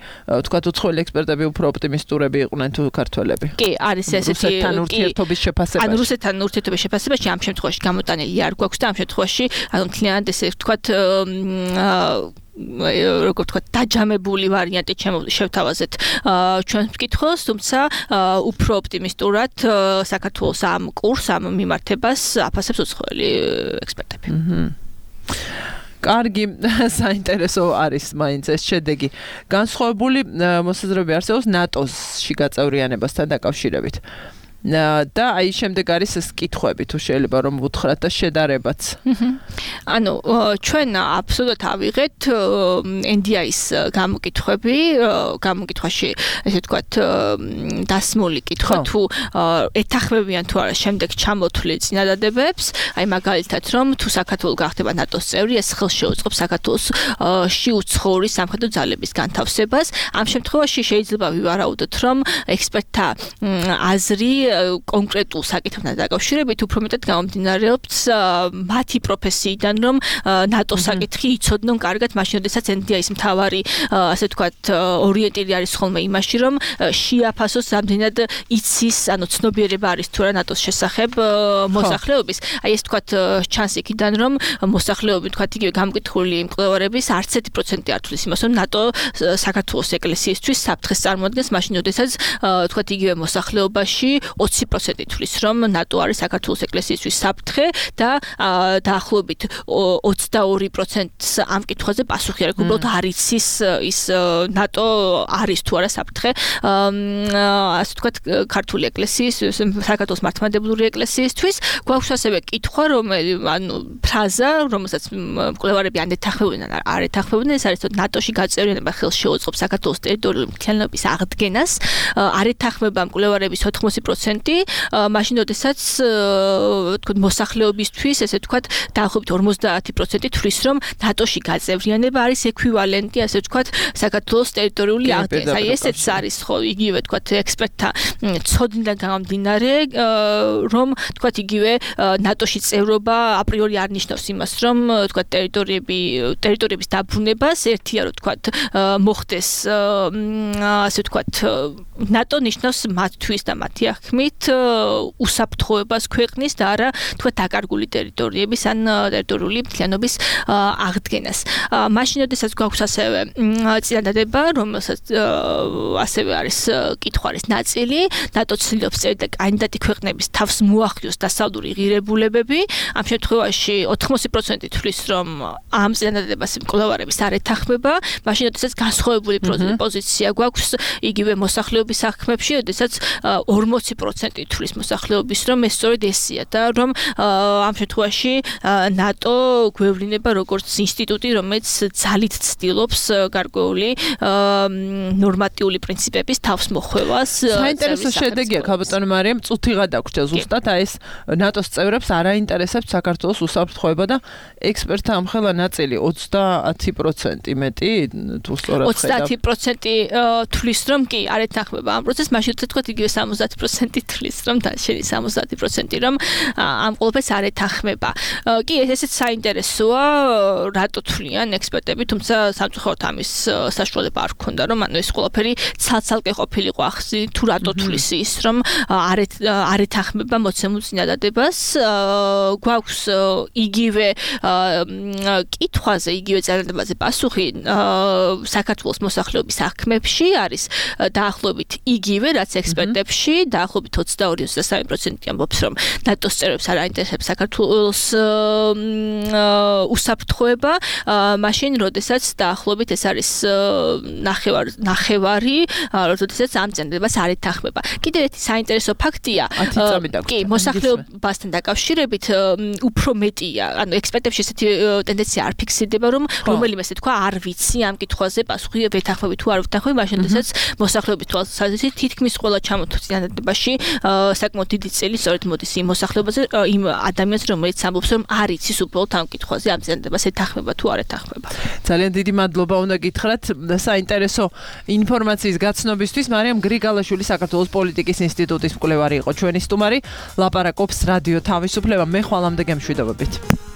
B: თქვათ უცხოელი ექსპერტები უფრო ოპტიმისტურები იყვნენ თუ ქართველები?
C: კი, არის ესეთი
B: რუსეთთან ურთიერთობის შეფასებაში.
C: ანუ რუსეთთან ურთიერთობის შეფასებაში ამ შემთხვევაში გამოტანილი არ გვაქვს და ამ შემთხვევაში ანუ მთლიანად ესე ვთქვათ როგორ ვთქვათ, დაჯამებული ვარიანტი შევთავაზეთ ჩვენ მკითხველს, თუმცა უფრო ოპტიმისტურად საქართველოს ამ კურსს, ამ მიმართებას აფასებს უცხოელი ექსპერტები.
B: კარგი, საინტერესო არის მაინც ეს შედეგი. განსხვავებული მოსაზრებები არსებობს ნატოში გაწევრიანებასთან დაკავშირებით. და აი შემდეგ არის ეს კითხვები თუ შეიძლება რომ ვუთხრათ და შედარებაც.
C: ანუ ჩვენ აბსოლუტურად ავიღეთ NDI-ის გამოკითხვაში ესე ვთქვათ დასმული კითხვა თუ ეთანხმებიან თუ არა შემდეგ ჩამოთვლილ წინადადებებს, აი მაგალითად რომ თუ საქართველო გახდება ნატოს წევრი, ეს ხელს შეუწყობს საქართველოში უცხოური სამხედრო ძალების განთავსებას. ამ შემთხვევაში შეიძლება ვივარაუდოთ რომ ექსპერტთა აზრი კონკრეტულ საკითხებთან დაკავშირებით უფრო მეტად გამომდინარეობს მათი პროფესიიდან, რომ ნატოს საკითხი იცოდნონ კარგად, მაშინ როდესაც NDI-ის მთავარი ასე ვთქვათ ორიენტირი არის ხოლმე იმაში, რომ შეაფასოს რამდენად იცის, ანუ ცნობიერება არის თუ არა ნატოს შესახებ მოსახლეობის. აი ეს ვთქვათ ჩანს იქიდან, რომ მოსახლეობის ვთქვათ იგივე გამკითხული მკვლევარების არც 1% არ თვლის იმას, რომ ნატო საქართველოს ეკლესიისთვის საფრთხეს წარმოადგენს, მაშინ როდესაც ვთქვათ იგივე მოსახლეობაში 20% თვლის, რომ ნატო არის საქართველოს ეკლესიისთვის საფრთხე და დაახლოებით 22%-ს ამ კითხვაზე პასუხი არ აქვს, უბრალოდ არ იცის ის ნატო არის თუ არა საფრთხე. ასე ვთქვათ, ქართული ეკლესიის, საქართველოს მართლმადიდებლური ეკლესიისთვის გვაქვს ასევე კითხვა, ანუ ფრაზა, რომელსაც მკვლევარები ან ეთანხმებენ, არ ეთანხმებენ, ეს არის ნატოში გაწევრიანება ხელს შეუწყობს საქართველოს ტერიტორიული მთლიანობის აღდგენას. არ ეთანხმება მკვლევარების 80% მაშინ როდესაც თქო მოსახლეობისთვის ესე ვთქვათ დაახლოებით 50% თვლის რომ ნატოში გაწევრიანება არის ექვივალენტი ასე ვთქვათ საქართველოს ტერიტორიული აღდგენას. აი ესეც არის ხო იგივე ვთქვათ ექსპერტთა ცოდნიდან გამომდინარე რომ ვთქვათ იგივე ნატოში წევრობა აპრიორი არ ნიშნავს იმას რომ ვთქვათ ტერიტორიების დაბრუნებას ერთია რომ ვთქვათ მოხდეს ასე ვთქვათ ნატო ნიშნავს მათთვის და მათი აღქმით უსაფრთხოებას ქვეყნის და არა თქვა დაკარგული ტერიტორიების ან ტერიტორიული მთლიანობის აღდგენას. მაშინ როდესაც გვაქვს ასევე წინადადება, რომელსაც ასევე არის კითხვარის ნაწილი, ნატო ცდილობს წერდა კანდიდატი ქვეყნების თავს მოახიოს დასავლური ღირებულებები. ამ შემთხვევაში 80% თვლის რომ ამ წინადადებას მკვლევარების არ ეთანხმება, მაშინ როდესაც განსხვავებული პოზიცია გვაქვს იგივე მოსახლეობის აღქმებში, როდესაც 40% თვლის მოსახლეობის რომ ეს სწორედ ესია და რომ ამ შემთხვევაში ნატო გვევლინება როგორც ინსტიტუტი, რომელიც ძალით ცდილობს გარკვეული ნორმატიული პრინციპების თავს მოხვევას.
B: საინტერესო შედეგია ქაბატონო მარიამ, წუთიღად აქვს ზუსტად აი ეს ნატოს წევრებს არ აინტერესებს საქართველოს უსაფრთხოება და ექსპერტთა ამხელა ნაწილი 30% მეტი თუ სწორად ხედავ
C: 30% თვლის რომ კი არ ეთანხმება ამ პროცესს, მაშინ თქვათ იგივე 70% თვლის რომ შედის 70% რომ ამ ყველაფერს არ ეთანხმება. კი ესეც საინტერესოა, რატო თვლიან ექსპერტები, თუმცა სამწუხაროდ ამის საშუალება არ ქონდა, რომ ანუ ეს ყველაფერი ცალ-ცალკე ყოფილიყო ახსი თუ რატო თვლის ის, რომ არ ეთანხმება მოცემულ წინადადებას. გვაქვს იგივე კითხვაზე, იგივე წინადადებაზე პასუხი საქართველოს მოსახლეობის აღქმებში არის დაახლოებით იგივე, რაც ექსპერტებში, დაახლოებით 22-23% ამბობს, რომ ნატოს წევრებს არ აინტერესებს საქართველოს უსაფრთხოება, მაშინ როდესაც დაახლოებით ეს არის ნახევარი, როდესაც ამ წინადადებას არ ეთანხმება. კიდევ ერთი საინტერესო ფაქტია, კი, მოსახლეობასთან დაკავშირებით უფრო მეტია, ანუ ექსპერტებში ესეთი ტენდენცია არ ფიქსირდება, რომ რომელიმე ესე თქვა არ ვიცი ამ კითხვაზე პასუხი ვეთანხმები თუ არ ვეთანხმები, მაშინ როდესაც მოსახლეობის თვალსაზრისით თითქმის ყველა ჩამოთვლილ წინადადებაში საკმაოდ დიდი წელი სწორედ მოდის იმ მოსახლეობაზე, იმ ადამიანს, რომელიც ამბობს, რომ არ იცის უბრალოდ ამ კითხვაზე ამ წინადადებას ეთანხმება თუ არ ეთანხმება.
B: ძალიან დიდი მადლობა უნდა გითხრათ საინტერესო ინფორმაციის გაცნობისთვის. მარიამ გრიგალაშვილი საქართველოს პოლიტიკის ინსტიტუტის მკვლევარი იყო ჩვენი სტუმარი. ლაპარაკობს რადიო თავისუფლება. მე ხვალამდე გემშვიდობებით.